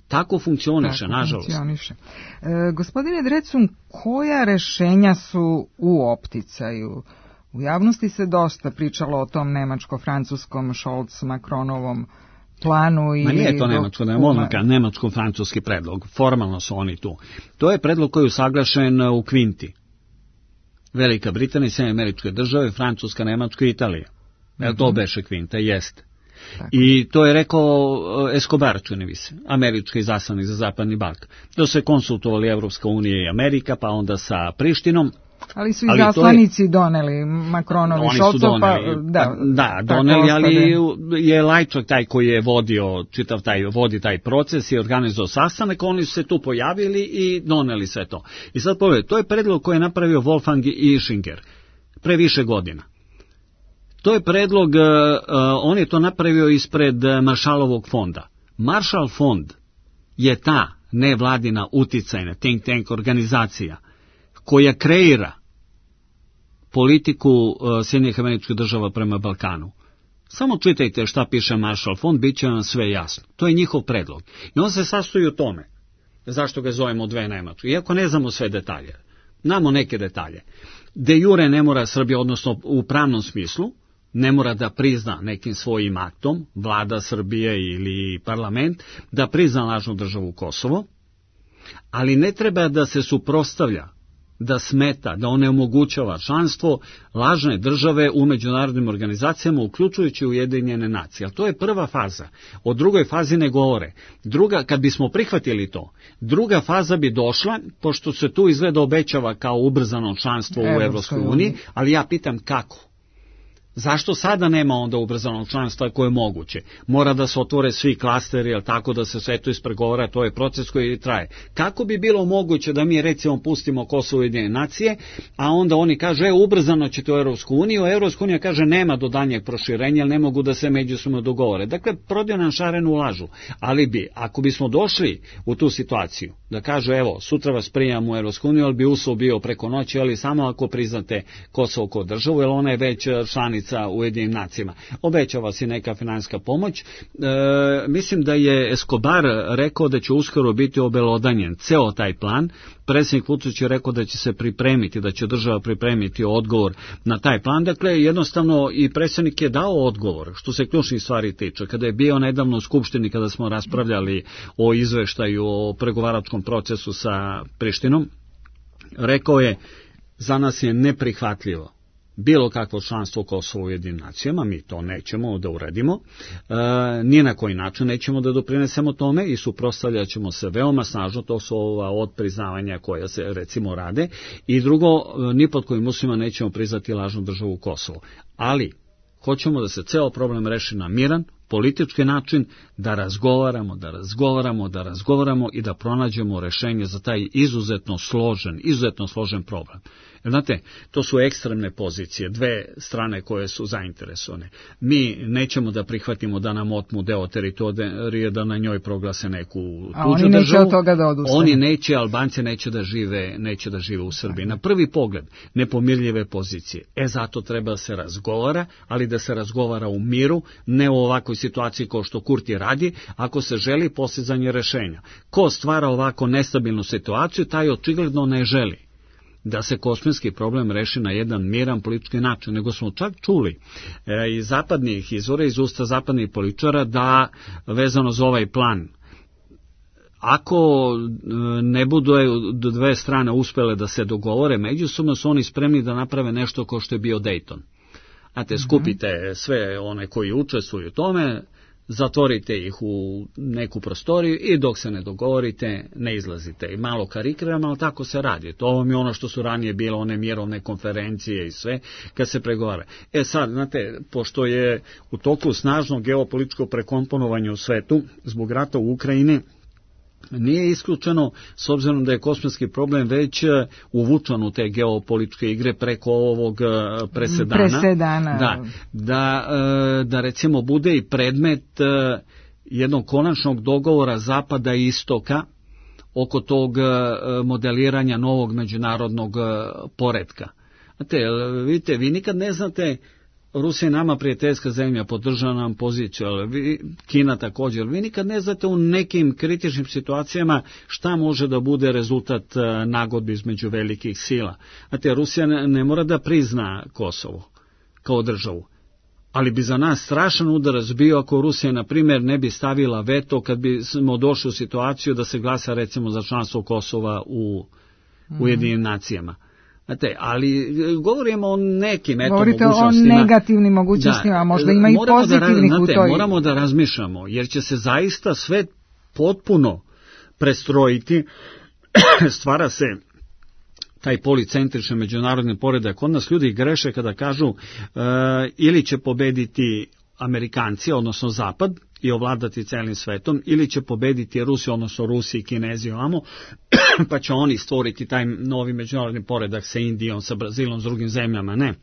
Tako funkcioniše, Tako nažalost. Funkcioniše. E, gospodine Drecun, koja rešenja su u opticaju? U javnosti se dosta pričalo o tom nemačko-francuskom Scholz-Macronovom planu. Ma nije to nemačko, da je monaka, nemačko-francuski predlog. Formalno su oni tu. To je predlog koji je usaglašen u kvinti. Velika Britanija, Sjedinjene Američke Države, Francuska, Nemačka i Italija. Mm-hmm. To beše kvinta, jeste. Tako. I to je rekao Escobar, čini mi se, američki izaslanik za Zapadni Balkan. To se konsultovali Evropska unija i Amerika, pa onda sa Prištinom. Ali su izaslanici je... doneli Macronovi Scholzov, pa da, da doneli, ali je Lajčak taj koji je vodio čitav taj, vodi taj proces i organizovao sastanak, oni su se tu pojavili i doneli sve to. I sad pogledajte, to je predlog koji je napravio Wolfgang Ischinger pre više godina. To je predlog, uh, on je to napravio ispred Marshallovog fonda. Marshall fond je ta nevladina uticajna think tank organizacija koja kreira politiku uh, Sjedinjenih Američkih Država prema Balkanu. Samo čitajte šta piše Marshall fond, bit će vam sve jasno. To je njihov predlog. I on se sastoji u tome. Zašto ga zovemo dve Nemačke? Iako ne znamo sve detalje. Znamo neke detalje. De jure ne mora Srbija, odnosno u pravnom smislu, ne mora da prizna nekim svojim aktom, vlada Srbije ili parlament, da prizna lažnu državu Kosovo, ali ne treba da se suprotstavlja da smeta, da onemogućava članstvo lažne države u međunarodnim organizacijama, uključujući Ujedinjene nacije. Ali to je prva faza. O drugoj fazi ne govore. Druga, kad bismo prihvatili to, druga faza bi došla, pošto se tu izgleda obećava kao ubrzano članstvo u Evropskoj uniji, ali ja pitam kako? Zašto sada nema onda ubrzanog članstva koje je moguće? Mora da se otvore svi klasteri, jel tako, da se sve to ispregovara, to je proces koji traje. Kako bi bilo moguće da mi recimo pustimo Kosovo i Ujedinjene nacije, a onda oni kažu, e, ubrzano ćete u Evropsku uniju, a Evropska unija kaže nema do daljnjeg proširenja, jer ne mogu da se međusobno dogovore. Dakle, prodaju nam šarenu lažu. Ali bi, ako bismo došli u tu situaciju, da kažu, evo, sutra vas prijemamo u Evropsku uniju, ali bi uslov bio preko noći, ali samo ako priznate Kosovo kao državu, jer ona je već članica sa Ujedinjenim nacijama. Obećava se neka finansijska pomoć. E, mislim da je Escobar rekao da će uskoro biti obelodanjen ceo taj plan. Predsjednik Vučić je rekao da će se pripremiti, da će država pripremiti odgovor na taj plan. Dakle, jednostavno i predsjednik je dao odgovor, što se ključnih stvari tiče. Kada je bio nedavno u Skupštini, kada smo raspravljali o izveštaju o pregovaračkom procesu sa Prištinom, rekao je, za nas je neprihvatljivo bilo kakvo članstvo Kosova u Ujedinjenim nacijama, mi to nećemo da uradimo, e, ni na koji način nećemo da doprinesemo tome i suprotstavljat ćemo se veoma snažno, to su ova odpriznavanja koja se recimo rade, i drugo, ni pod kojim uslovima nećemo priznati lažnu državu Kosovo. Ali, hoćemo da se ceo problem reši na miran, politički način, da razgovaramo, da razgovaramo, da razgovaramo i da pronađemo rešenje za taj izuzetno složen, izuzetno složen problem. Jer, znate, to su ekstremne pozicije, dve strane koje su zainteresovane. Mi nećemo da prihvatimo da nam otmu deo teritorije, da na njoj proglase neku tuđu državu. A oni neće državu. Od toga da odustanu. Oni neće, Albanci neće da žive, neće da žive u Srbiji. Na prvi pogled, nepomirljive pozicije. E, zato treba da se razgovara, ali da se razgovara u miru, ne u ovakvoj situaciji kao što Kurti radi, ako se želi postizanje rešenja. Ko stvara ovako nestabilnu situaciju, taj očigledno ne želi da se kosmetski problem reši na jedan miran politički način, nego smo čak čuli e, iz zapadnih izvora, iz usta zapadnih političara, da vezano za ovaj plan, ako ne budu dve strane uspele da se dogovore međusobno, su oni spremni da naprave nešto kao što je bio Dayton. Znate, skupite sve one koji učestvuju u tome, zatvorite ih u neku prostoriju i dok se ne dogovorite, ne izlazite. I malo karikiramo, ali tako se radi. To vam je ono što su ranije bile one mirovne konferencije i sve, kad se pregovara. E sad, znate, pošto je u toku snažno geopolitičko prekomponovanje u svetu, zbog rata u Ukrajini, nije isključeno, s obzirom da je kosmetski problem već uvučan u te geopolitičke igre preko ovog presedana, presedana. Da, da, da recimo bude i predmet jednog konačnog dogovora Zapada i Istoka oko tog modeliranja novog međunarodnog poretka. Znate, vidite, vi nikad ne znate, Rusija je nama prijateljska zemlja, podržava nam poziciju, ali vi, Kina također, vi nikad ne znate u nekim kritičnim situacijama šta može da bude rezultat nagodbe između velikih sila. Znate, Rusija ne, ne mora da prizna Kosovo kao državu, ali bi za nas strašan udarac bio ako Rusija, na primjer, ne bi stavila veto kad bi smo došli u situaciju da se glasa recimo za članstvo Kosova u mm-hmm. Ujedinjenim nacijama. Znate, ali govorimo o nekim eto Govorite mogućnostima. O negativnim mogućnostima, da, a možda ima i pozitivnih da, u toj. Moramo da razmišljamo, jer će se zaista sve potpuno prestrojiti, stvara se taj policentrični međunarodni poredak. Kod nas ljudi greše kada kažu uh, ili će pobediti Amerikanci, odnosno Zapad, i ovladati celim svetom, ili će pobediti Rusiju, odnosno Rusi i Kinezi ovamo, pa će oni stvoriti taj novi međunarodni poredak sa Indijom, sa Brazilom, s drugim zemljama. Ne.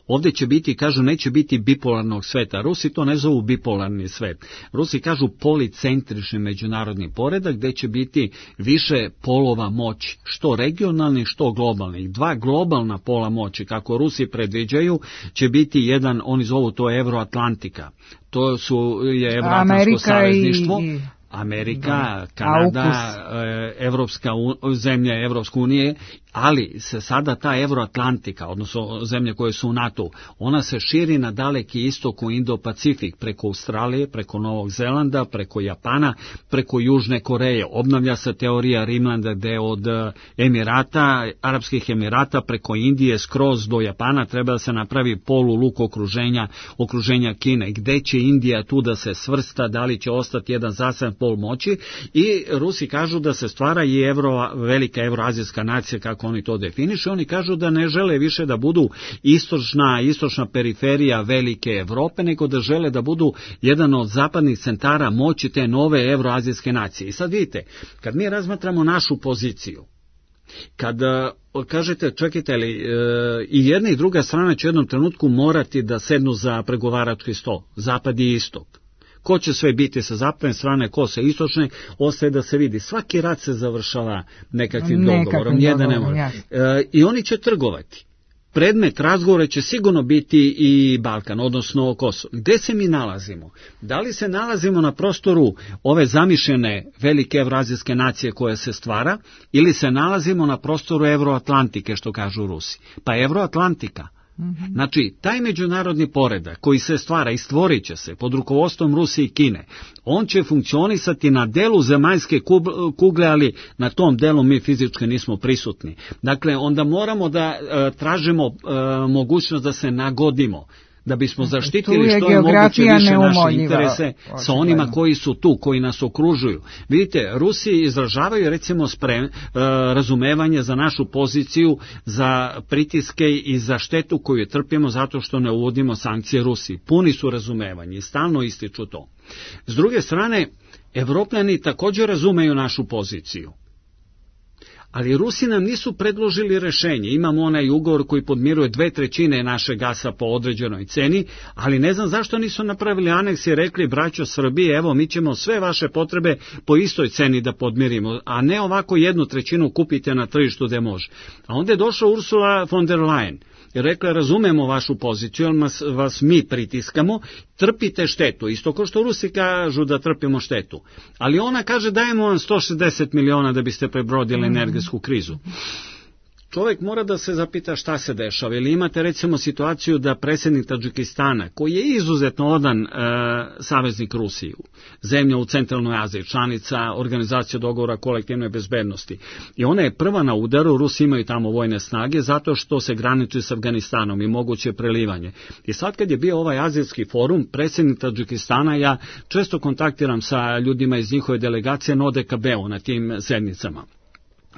Ovdje će biti, kažu, neće biti bipolarnog sveta. Rusi to ne zovu bipolarni svet. Rusi kažu policentrični međunarodni poredak, gdje će biti više polova moći, što regionalnih, što globalnih. Dva globalna pola moći, kako Rusi predviđaju, će biti jedan, oni zovu to Evroatlantika. To su je Evroatlantsko savezništvo. I... Amerika, da. Kanada, Evropska zemlja Evropske unije, ali se sada ta Euroatlantika, odnosno zemlje koje su u NATO, ona se širi na daleki istok u Indo-Pacifik, preko Australije, preko Novog Zelanda, preko Japana, preko Južne Koreje. Obnavlja se teorija Rimlanda gde od Emirata, Arapskih Emirata, preko Indije, skroz do Japana treba da se napravi poluluk okruženja, okruženja Kine. Gde će Indija tu da se svrsta, da li će ostati jedan zaseban pol moći, i Rusi kažu da se stvara i evro, velika evroazijska nacija, kako oni to definišu. Oni kažu da ne žele više da budu istočna, istočna periferija velike Evrope, nego da žele da budu jedan od zapadnih centara moći te nove evroazijske nacije. I sad vidite, kad mi razmatramo našu poziciju, kad kažete, čekajte li, e, i jedna i druga strana će u jednom trenutku morati da sednu za pregovarački sto, zapad i istok. Ko će sve biti sa zapadne strane, ko sa istočne, ostaje da se vidi. Svaki rat se završava nekakvim dogovorom, jedan ne može. E, I oni će trgovati. Predmet razgovora će sigurno biti i Balkan, odnosno Kosovo. Gde se mi nalazimo? Da li se nalazimo na prostoru ove zamišljene velike evroazijske nacije koja se stvara, ili se nalazimo na prostoru Evroatlantike, što kažu Rusi? Pa Evroatlantika. Znači, taj međunarodni poredak koji se stvara i stvorit će se pod rukovodstvom Rusije i Kine, on će funkcionisati na delu zemaljske kugle, ali na tom delu mi fizički nismo prisutni. Dakle, onda moramo da e, tražimo e, mogućnost da se nagodimo, da bismo zaštitili što je moguće više naše interese sa onima koji su tu, koji nas okružuju. Vidite, Rusi izražavaju recimo sprem, e, razumevanje za našu poziciju, za pritiske i za štetu koju trpimo zato što ne uvodimo sankcije Rusiji. Puni su razumevanje i stalno ističu to. S druge strane, Evropljani također razumeju našu poziciju. Ali Rusi nam nisu predložili rešenje. Imamo onaj ugovor koji podmiruje dve trećine naše gasa po određenoj ceni, ali ne znam zašto nisu napravili aneks i rekli, braćo Srbije, evo mi ćemo sve vaše potrebe po istoj ceni da podmirimo, a ne ovako jednu trećinu kupite na tržištu gde može. A onda je došla Ursula von der Leyen i rekla, razumemo vašu poziciju, ali vas, vas mi pritiskamo, trpite štetu, isto kao što Rusi kažu da trpimo štetu. Ali ona kaže, dajemo vam sto šezdeset miliona da biste prebrodili energetsku krizu. Čovjek mora da se zapita šta se dešava. Ili imate recimo situaciju da predsjednik Tadžikistana, koji je izuzetno odan e, saveznik Rusiju, zemlja u centralnoj Aziji, članica Organizacije dogovora kolektivne bezbednosti, i ona je prva na udaru, Rusi imaju tamo vojne snage, zato što se graniči s Afganistanom i moguće prelivanje. I sad kad je bio ovaj azijski forum, predsjednik Tadžikistana, ja često kontaktiram sa ljudima iz njihove delegacije na O D K B-u na tim sednicama.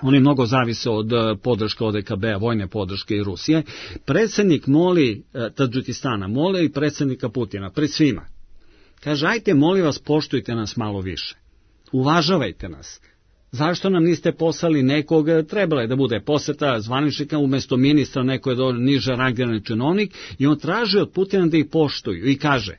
Oni mnogo zavise od podrške O D K B-a, vojne podrške i Rusije. Predsjednik moli Tadžikistana, moli i predsjednika Putina, pred svima. Kaže, ajte, molim vas, poštujte nas malo više. Uvažavajte nas. Zašto nam niste poslali nekog, trebalo je da bude poseta zvaničnika, umjesto ministra neko je do niže rangirani činovnik, i on traži od Putina da ih poštuju i kaže,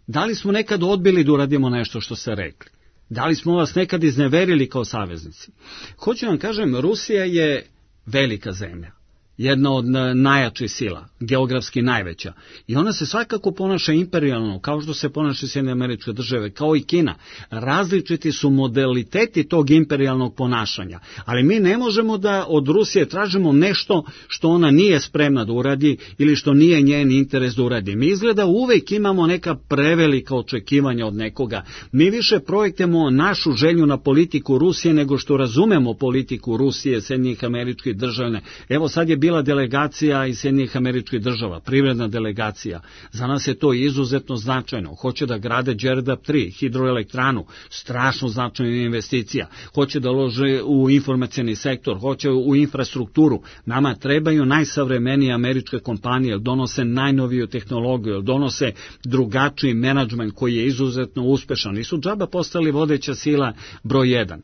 da li smo nekad odbili da uradimo nešto što ste rekli? Da li smo vas nekad izneverili kao saveznici? Hoću vam kažem, Rusija je velika zemlja, jedna od najjačih sila, geografski najveća, i ona se svakako ponaša imperijalno, kao što se ponaša Sjedinjene Američke Države, kao i Kina. Različiti su modaliteti tog imperijalnog ponašanja, ali mi ne možemo da od Rusije tražimo nešto što ona nije spremna da uradi ili što nije njen interes da uradi. Mi izgleda uvek imamo neka prevelika očekivanja od nekoga. Mi više projektujemo našu želju na politiku Rusije nego što razumemo politiku Rusije, Sjedinjenih Američkih Država. Evo sad je bila delegacija iz Sjedinjenih Američkih Država, privredna delegacija. Za nas je to izuzetno značajno. Hoće da grade Đerdap tri, hidroelektranu, strašno značajna investicija. Hoće da lože u informacioni sektor, hoće u infrastrukturu. Nama trebaju najsavremenije američke kompanije, jer donose najnoviju tehnologiju, jer donose drugačiji menadžment koji je izuzetno uspešan. Nisu džaba postali vodeća sila broj jedan.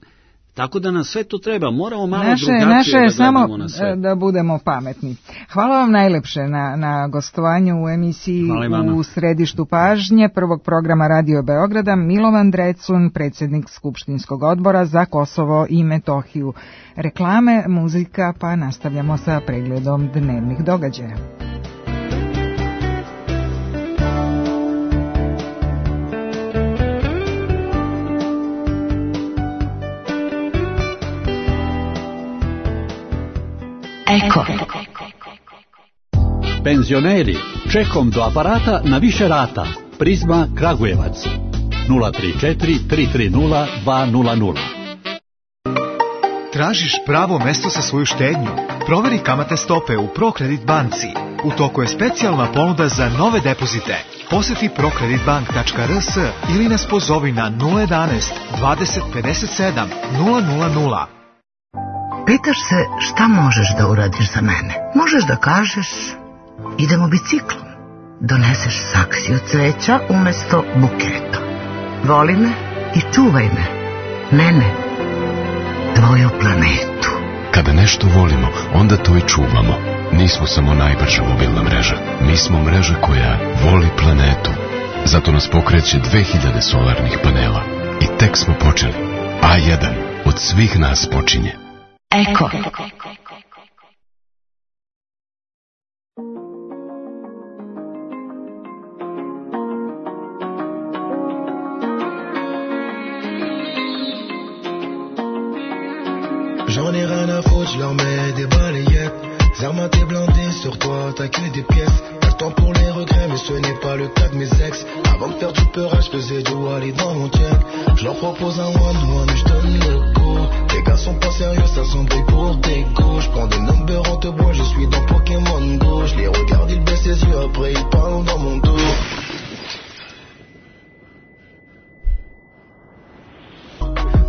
Tako da nam sve to treba, moramo malo naše, drugačije naše da gledamo na sve. Da budemo pametni. Hvala vam najlepše na, na gostovanju u emisiji U središtu pažnje prvog programa Radio Beograda. Milovan Drecun, predsjednik Skupštinskog odbora za Kosovo i Metohiju. Reklame, muzika, pa nastavljamo sa pregledom dnevnih događaja. Eko. Penzioneri, čekom do aparata na više rata. Prizma Kragujevac. nula tri četiri tri tri nula dva nula nula. Tražiš pravo mesto za svoju štednju? Proveri kamatne stope u ProCredit banci. U toku je specijalna ponuda za nove depozite. Poseti procreditbank tačka r s ili nas pozovi na nula jedanaest dvadeset pedeset sedam nula nula nula. Pitaš se šta možeš da uradiš za mene? Možeš da kažeš idemo biciklom. Doneseš saksiju cveća umesto buketa. Voli me i čuvaj me. Mene. Tvoju planetu. Kada nešto volimo, onda to i čuvamo. Nismo samo najbrža mobilna mreža. Mi smo mreža koja voli planetu. Zato nas pokreće dve hiljade solarnih panela. I tek smo počeli. A jedan od svih nas počinje. Eko. J'en ai rien à foutre, je leur mets des balayettes. Zermatt est blindé, sur toi t'as que des pièces. Pas le temps pour les regrets, mais ce n'est pas le cas de mes ex. Avant de faire du peurage, je faisais du Wally dans mon check. Je leur propose un one-one, je donne le go. Les gars sont pas sérieux, ça s'embrouille pour des go. Je prends des numbers en te bois, je suis dans Pokémon Go. Je les regarde, ils baissent les yeux, après ils parlent dans mon dos.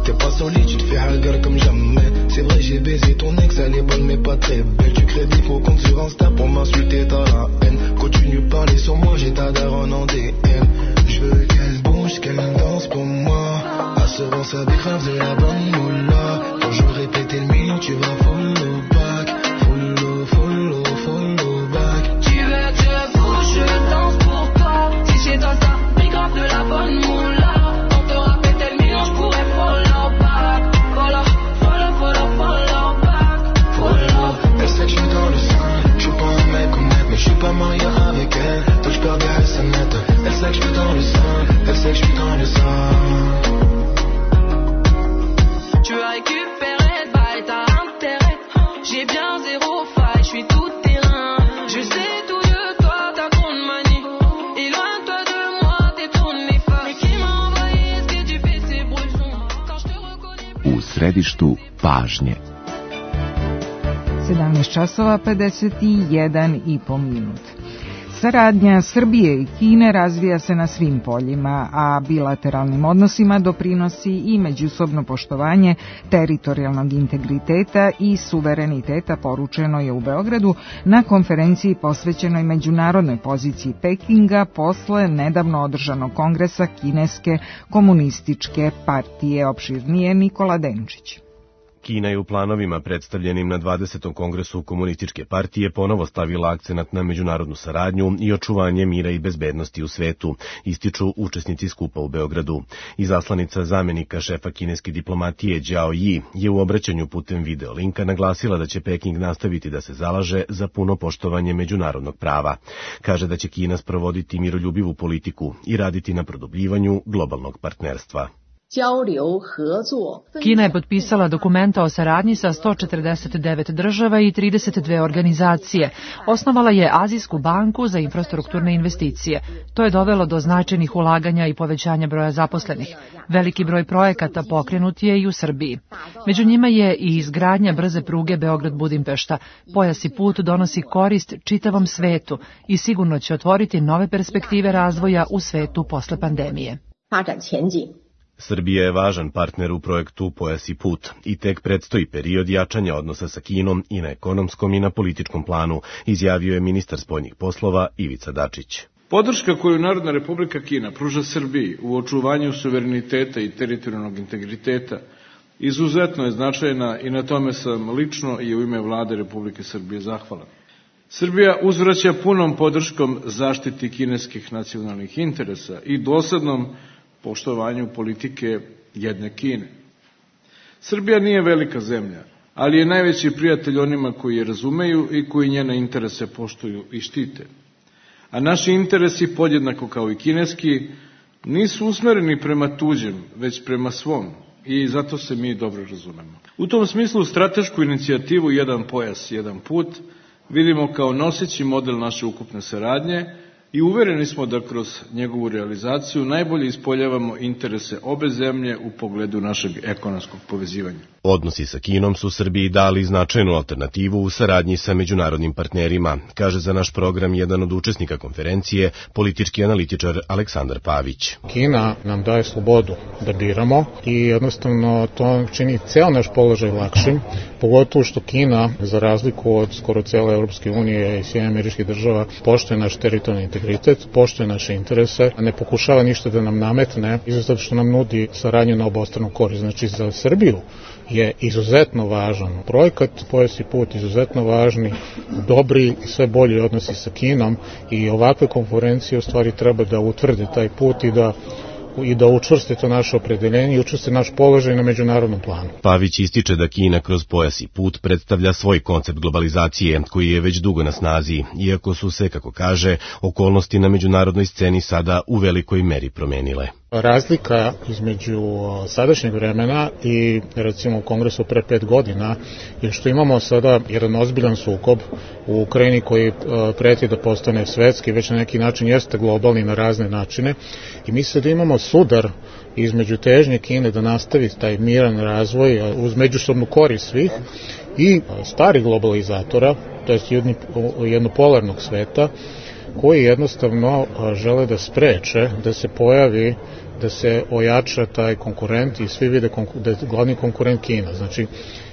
T'es pas solide, tu te fais hagar comme jamais. C'est vrai, j'ai baisé ton ex, elle est bonne mais pas très belle. Tu crées des faux comptes sur Insta pour m'insulter, t'as la haine. Continue de parler sur moi, j'ai ta daronne en D M. Je veux qu'elle bouge, qu'elle danse pour moi. Assurance avec grave de la bonne moula. Quand je répétais le million, tu vas follow back. Follow, follow, follow back. Tu veux que je bouge, je danse pour toi. Si chez toi ça fait grave de la bonne moula. On te répétait le million, je pourrais follow back. Follow, follow, follow, follow back. Follow. Elle sait que je suis dans le sang. Je suis pas un mec honnête, mais je suis pas marié avec elle. Donc je perds des S M S. Elle sait que je suis dans le sang. Elle sait que je suis dans le sang. Tu as récupéré, bah et t'as intérêt. J'ai bien zéro faille, je suis tout terrain. Je sais tout de toi, t'as trop de manie. Éloigne-toi de moi, t'es trop néfaste. Mais qui m'a envoyé ce que tu fais, ces brouillons. Quand je te reconnais. U središtu pažnje. sedamnaest časova pedeset jedan i po minut. Saradnja Srbije i Kine razvija se na svim poljima, a bilateralnim odnosima doprinosi i međusobno poštovanje teritorijalnog integriteta i suvereniteta, poručeno je u Beogradu na konferenciji posvećenoj međunarodnoj poziciji Pekinga posle nedavno održanog kongresa Kineske komunističke partije. Opširnije Nikola Denčić. Kina je u planovima predstavljenim na dvadesetom kongresu komunističke partije ponovo stavila akcenat na međunarodnu saradnju i očuvanje mira i bezbednosti u svetu, ističu učesnici skupa u Beogradu. Izaslanica zamenika šefa kineske diplomatije Đao Yi je u obraćanju putem video linka naglasila da će Peking nastaviti da se zalaže za puno poštovanje međunarodnog prava. Kaže da će Kina sprovoditi miroljubivu politiku i raditi na produbljivanju globalnog partnerstva. Kina je potpisala dokumenta o saradnji sa sto četrdeset devet država i trideset dve organizacije. Osnovala je Azijsku banku za infrastrukturne investicije. To je dovelo do značajnih ulaganja i povećanja broja zaposlenih. Veliki broj projekata pokrenut je i u Srbiji. Među njima je i izgradnja brze pruge Beograd-Budimpešta. Pojas i put donosi korist čitavom svetu i sigurno će otvoriti nove perspektive razvoja u svetu posle pandemije. Srbija je važan partner u projektu Pojas i put i tek predstoji period jačanja odnosa sa Kinom i na ekonomskom i na političkom planu, izjavio je ministar spoljnih poslova Ivica Dačić. Podrška koju Narodna Republika Kina pruža Srbiji u očuvanju suvereniteta i teritorijalnog integriteta izuzetno je značajna i na tome sam lično i u ime Vlade Republike Srbije zahvalan. Srbija uzvraća punom podrškom zaštiti kineskih nacionalnih interesa i doslednom poštovanju politike jedne Kine. Srbija nije velika zemlja, ali je najveći prijatelj onima koji je razumeju i koji njene interese poštuju i štite. A naši interesi, podjednako kao i kineski, nisu usmereni prema tuđem, već prema svom, i zato se mi dobro razumemo. U tom smislu stratešku inicijativu Jedan pojas, jedan put vidimo kao noseći model naše ukupne saradnje i uvereni smo da kroz njegovu realizaciju najbolje ispoljavamo interese obe zemlje u pogledu našeg ekonomskog povezivanja. Odnosi sa Kinom su Srbiji dali značajnu alternativu u saradnji sa međunarodnim partnerima, kaže za naš program jedan od učesnika konferencije, politički analitičar Aleksandar Pavić. Kina nam daje slobodu da biramo i jednostavno to čini ceo naš položaj lakšim, pogotovo što Kina, za razliku od skoro cele Evropske unije i Sjedinjenih Američkih Država, poštuje naš teritorijalni integritet, poštuje naše interese, a ne pokušava ništa da nam nametne, izuzetno što nam nudi saradnju na obostranu korist. Znači za Srbiju je izuzetno važan projekat, Pojas i put, izuzetno važni, dobri i sve bolji odnosi sa Kinom i ovakve konferencije u stvari treba da utvrde taj put i da i da učvrste to naše opredeljenje i učvrste naš položaj na međunarodnom planu. Pavić ističe da Kina kroz Pojas i put predstavlja svoj koncept globalizacije koji je već dugo na snazi, iako su se, kako kaže, okolnosti na međunarodnoj sceni sada u velikoj meri promenile. Razlika između sadašnjeg vremena i recimo u Kongresu pre pet godina je što imamo sada jedan ozbiljan sukob u Ukrajini koji preti da postane svetski, već na neki način jeste globalni na razne načine i misle da imamo sudar između težnje Kine da nastavi taj miran razvoj uz međusobnu korist svih i starih globalizatora, to je jednopolarnog sveta, koji jednostavno žele da spreče da se pojavi, da se ojača taj konkurent i svi vide da je glavni konkurent Kina. Znači,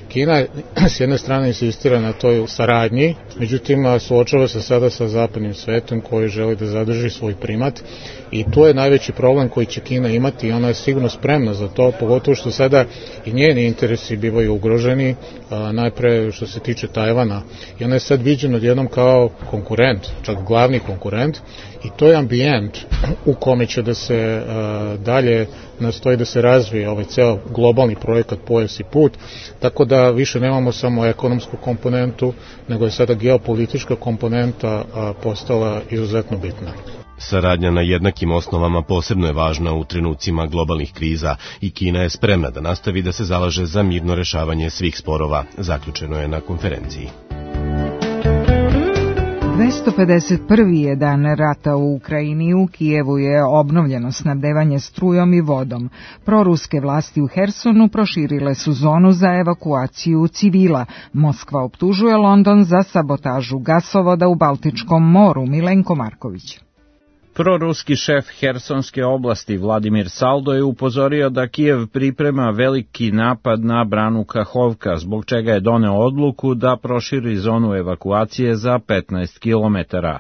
Kina s jedne strane insistira na toj saradnji, međutim suočava se sada sa zapadnim svetom koji želi da zadrži svoj primat i to je najveći problem koji će Kina imati i ona je sigurno spremna za to, pogotovo što sada i njeni interesi bivaju ugroženi, najpre što se tiče Tajvana i ona je sad viđena odjednom kao konkurent, čak glavni konkurent i to je ambijent u kome će da se dalje nastoji da se razvije ovaj ceo globalni projekat Pojas i put, tako da više nemamo samo ekonomsku komponentu, nego je sada geopolitička komponenta postala izuzetno bitna. Saradnja na jednakim osnovama posebno je važna u trenucima globalnih kriza i Kina je spremna da nastavi da se zalaže za mirno rešavanje svih sporova, zaključeno je na konferenciji. dvesta pedeset prvi je dan rata u Ukrajini. U Kijevu je obnovljeno snabdevanje strujom i vodom. Proruske vlasti u Hersonu proširile su zonu za evakuaciju civila. Moskva optužuje London za sabotažu gasovoda u Baltičkom moru. Milenko Marković. Proruski šef Hersonske oblasti Vladimir Saldo je upozorio da Kijev priprema veliki napad na branu Kahovka, zbog čega je doneo odluku da proširi zonu evakuacije za petnaest kilometara.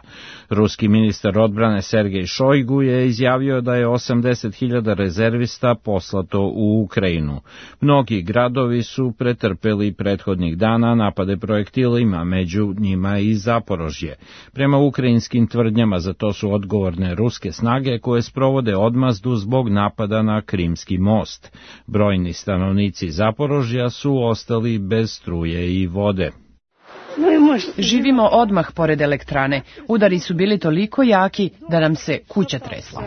Ruski ministar odbrane Sergej Šojgu je izjavio da je osamdeset hiljada rezervista poslato u Ukrajinu. Mnogi gradovi su pretrpeli prethodnih dana napade projektilima, među njima i Zaporožje. Prema ukrajinskim tvrdnjama za to su odgovorne ruske snage koje sprovode odmazdu zbog napada na Krimski most. Brojni stanovnici Zaporožja su ostali bez struje i vode. Živimo odmah pored elektrane. Udari su bili toliko jaki da nam se kuća tresla.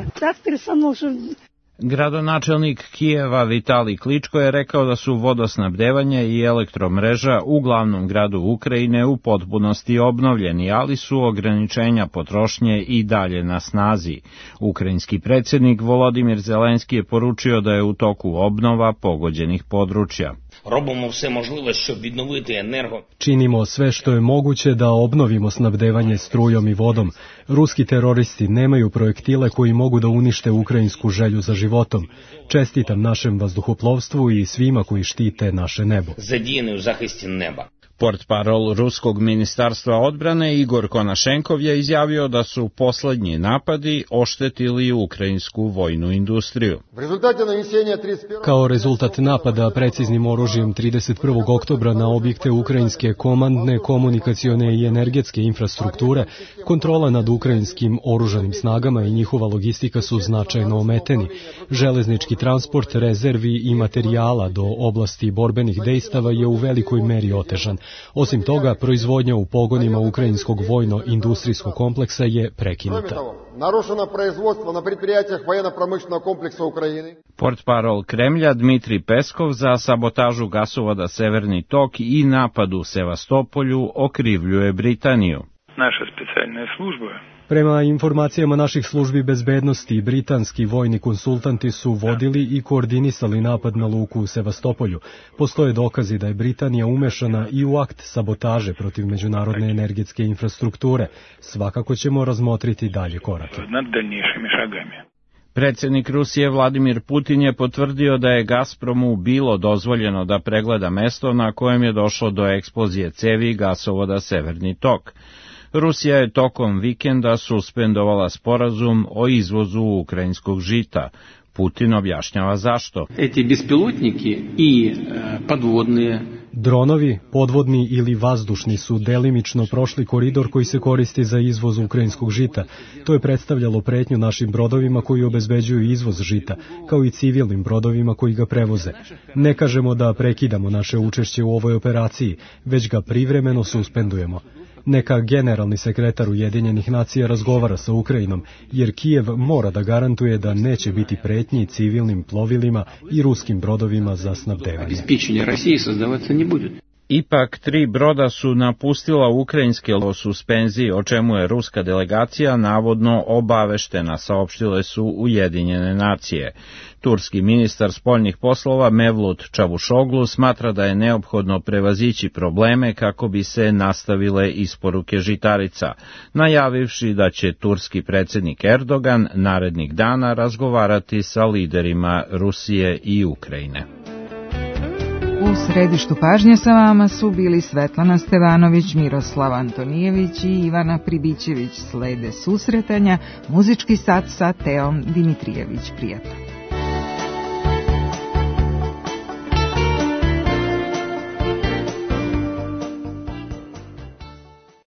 Gradonačelnik Kijeva Vitali Kličko je rekao da su vodosnabdevanje i elektromreža u glavnom gradu Ukrajine u potpunosti obnovljeni, ali su ograničenja potrošnje i dalje na snazi. Ukrajinski predsjednik Volodimir Zelenski je poručio da je u toku obnova pogođenih područja. Činimo sve što je moguće da obnovimo snabdevanje strujom i vodom. Ruski teroristi nemaju projektile koji mogu da unište ukrajinsku želju za životom. Čestitam našem vazduhoplovstvu i svima koji štite naše nebo. Portparol Ruskog ministarstva odbrane Igor Konašenkov je izjavio da su poslednji napadi oštetili ukrajinsku vojnu industriju. Kao rezultat napada preciznim oružjem trideset prvog oktobra na objekte ukrajinske komandne, komunikacione i energetske infrastrukture, kontrola nad ukrajinskim oružanim snagama i njihova logistika su značajno ometeni. Železnički transport rezervi i materijala do oblasti borbenih dejstava je u velikoj meri otežan. Osim toga, proizvodnja u pogonima ukrajinskog vojno-industrijskog kompleksa je prekinuta. Narušeno proizvodstvo na предприятиях военно-промышленного комплекса Украjine. Portparol Kremlja Dmitri Peskov za sabotažu gasovoda Severni tok i napad u Sevastopolju okrivljuje Britaniju. Naša specijalna služba. Prema informacijama naših službi bezbednosti, britanski vojni konsultanti su vodili i koordinisali napad na luku u Sevastopolju. Postoje dokazi da je Britanija umešana i u akt sabotaže protiv međunarodne energetske infrastrukture. Svakako ćemo razmotriti dalje korake. Nad daljnješimi šagami. Predsjednik Rusije Vladimir Putin je potvrdio da je Gazpromu bilo dozvoljeno da pregleda mesto na kojem je došlo do eksplozije cevi gasovoda Severni tok. Rusija je tokom vikenda suspendovala sporazum o izvozu ukrajinskog žita. Putin objašnjava zašto. Eti bespilotniki i podvodni Dronovi, podvodni ili vazdušni, su delimično prošli koridor koji se koristi za izvoz ukrajinskog žita. To je predstavljalo pretnju našim brodovima koji obezbeđuju izvoz žita, kao i civilnim brodovima koji ga prevoze. Ne kažemo da prekidamo naše učešće u ovoj operaciji, već ga privremeno suspendujemo. Neka generalni sekretar Ujedinjenih nacija razgovara sa Ukrajinom, jer Kijev mora da garantuje da neće biti pretnji civilnim plovilima i ruskim brodovima za snabdevanje. Ipak, tri broda su napustila ukrajinske o suspenziji, o čemu je ruska delegacija navodno obaveštena, saopštile su Ujedinjene nacije. Turski ministar spoljnih poslova Mevlut Čavušoglu smatra da je neophodno prevazići probleme kako bi se nastavile isporuke žitarica, najavivši da će turski predsjednik Erdogan narednih dana razgovarati sa liderima Rusije i Ukrajine. U središtu pažnje sa vama su bili Svetlana Stevanović, Miroslav Antonijević i Ivana Pribićević. Slede susretanja, muzički sat sa Teom Dimitrijević. Prijatno.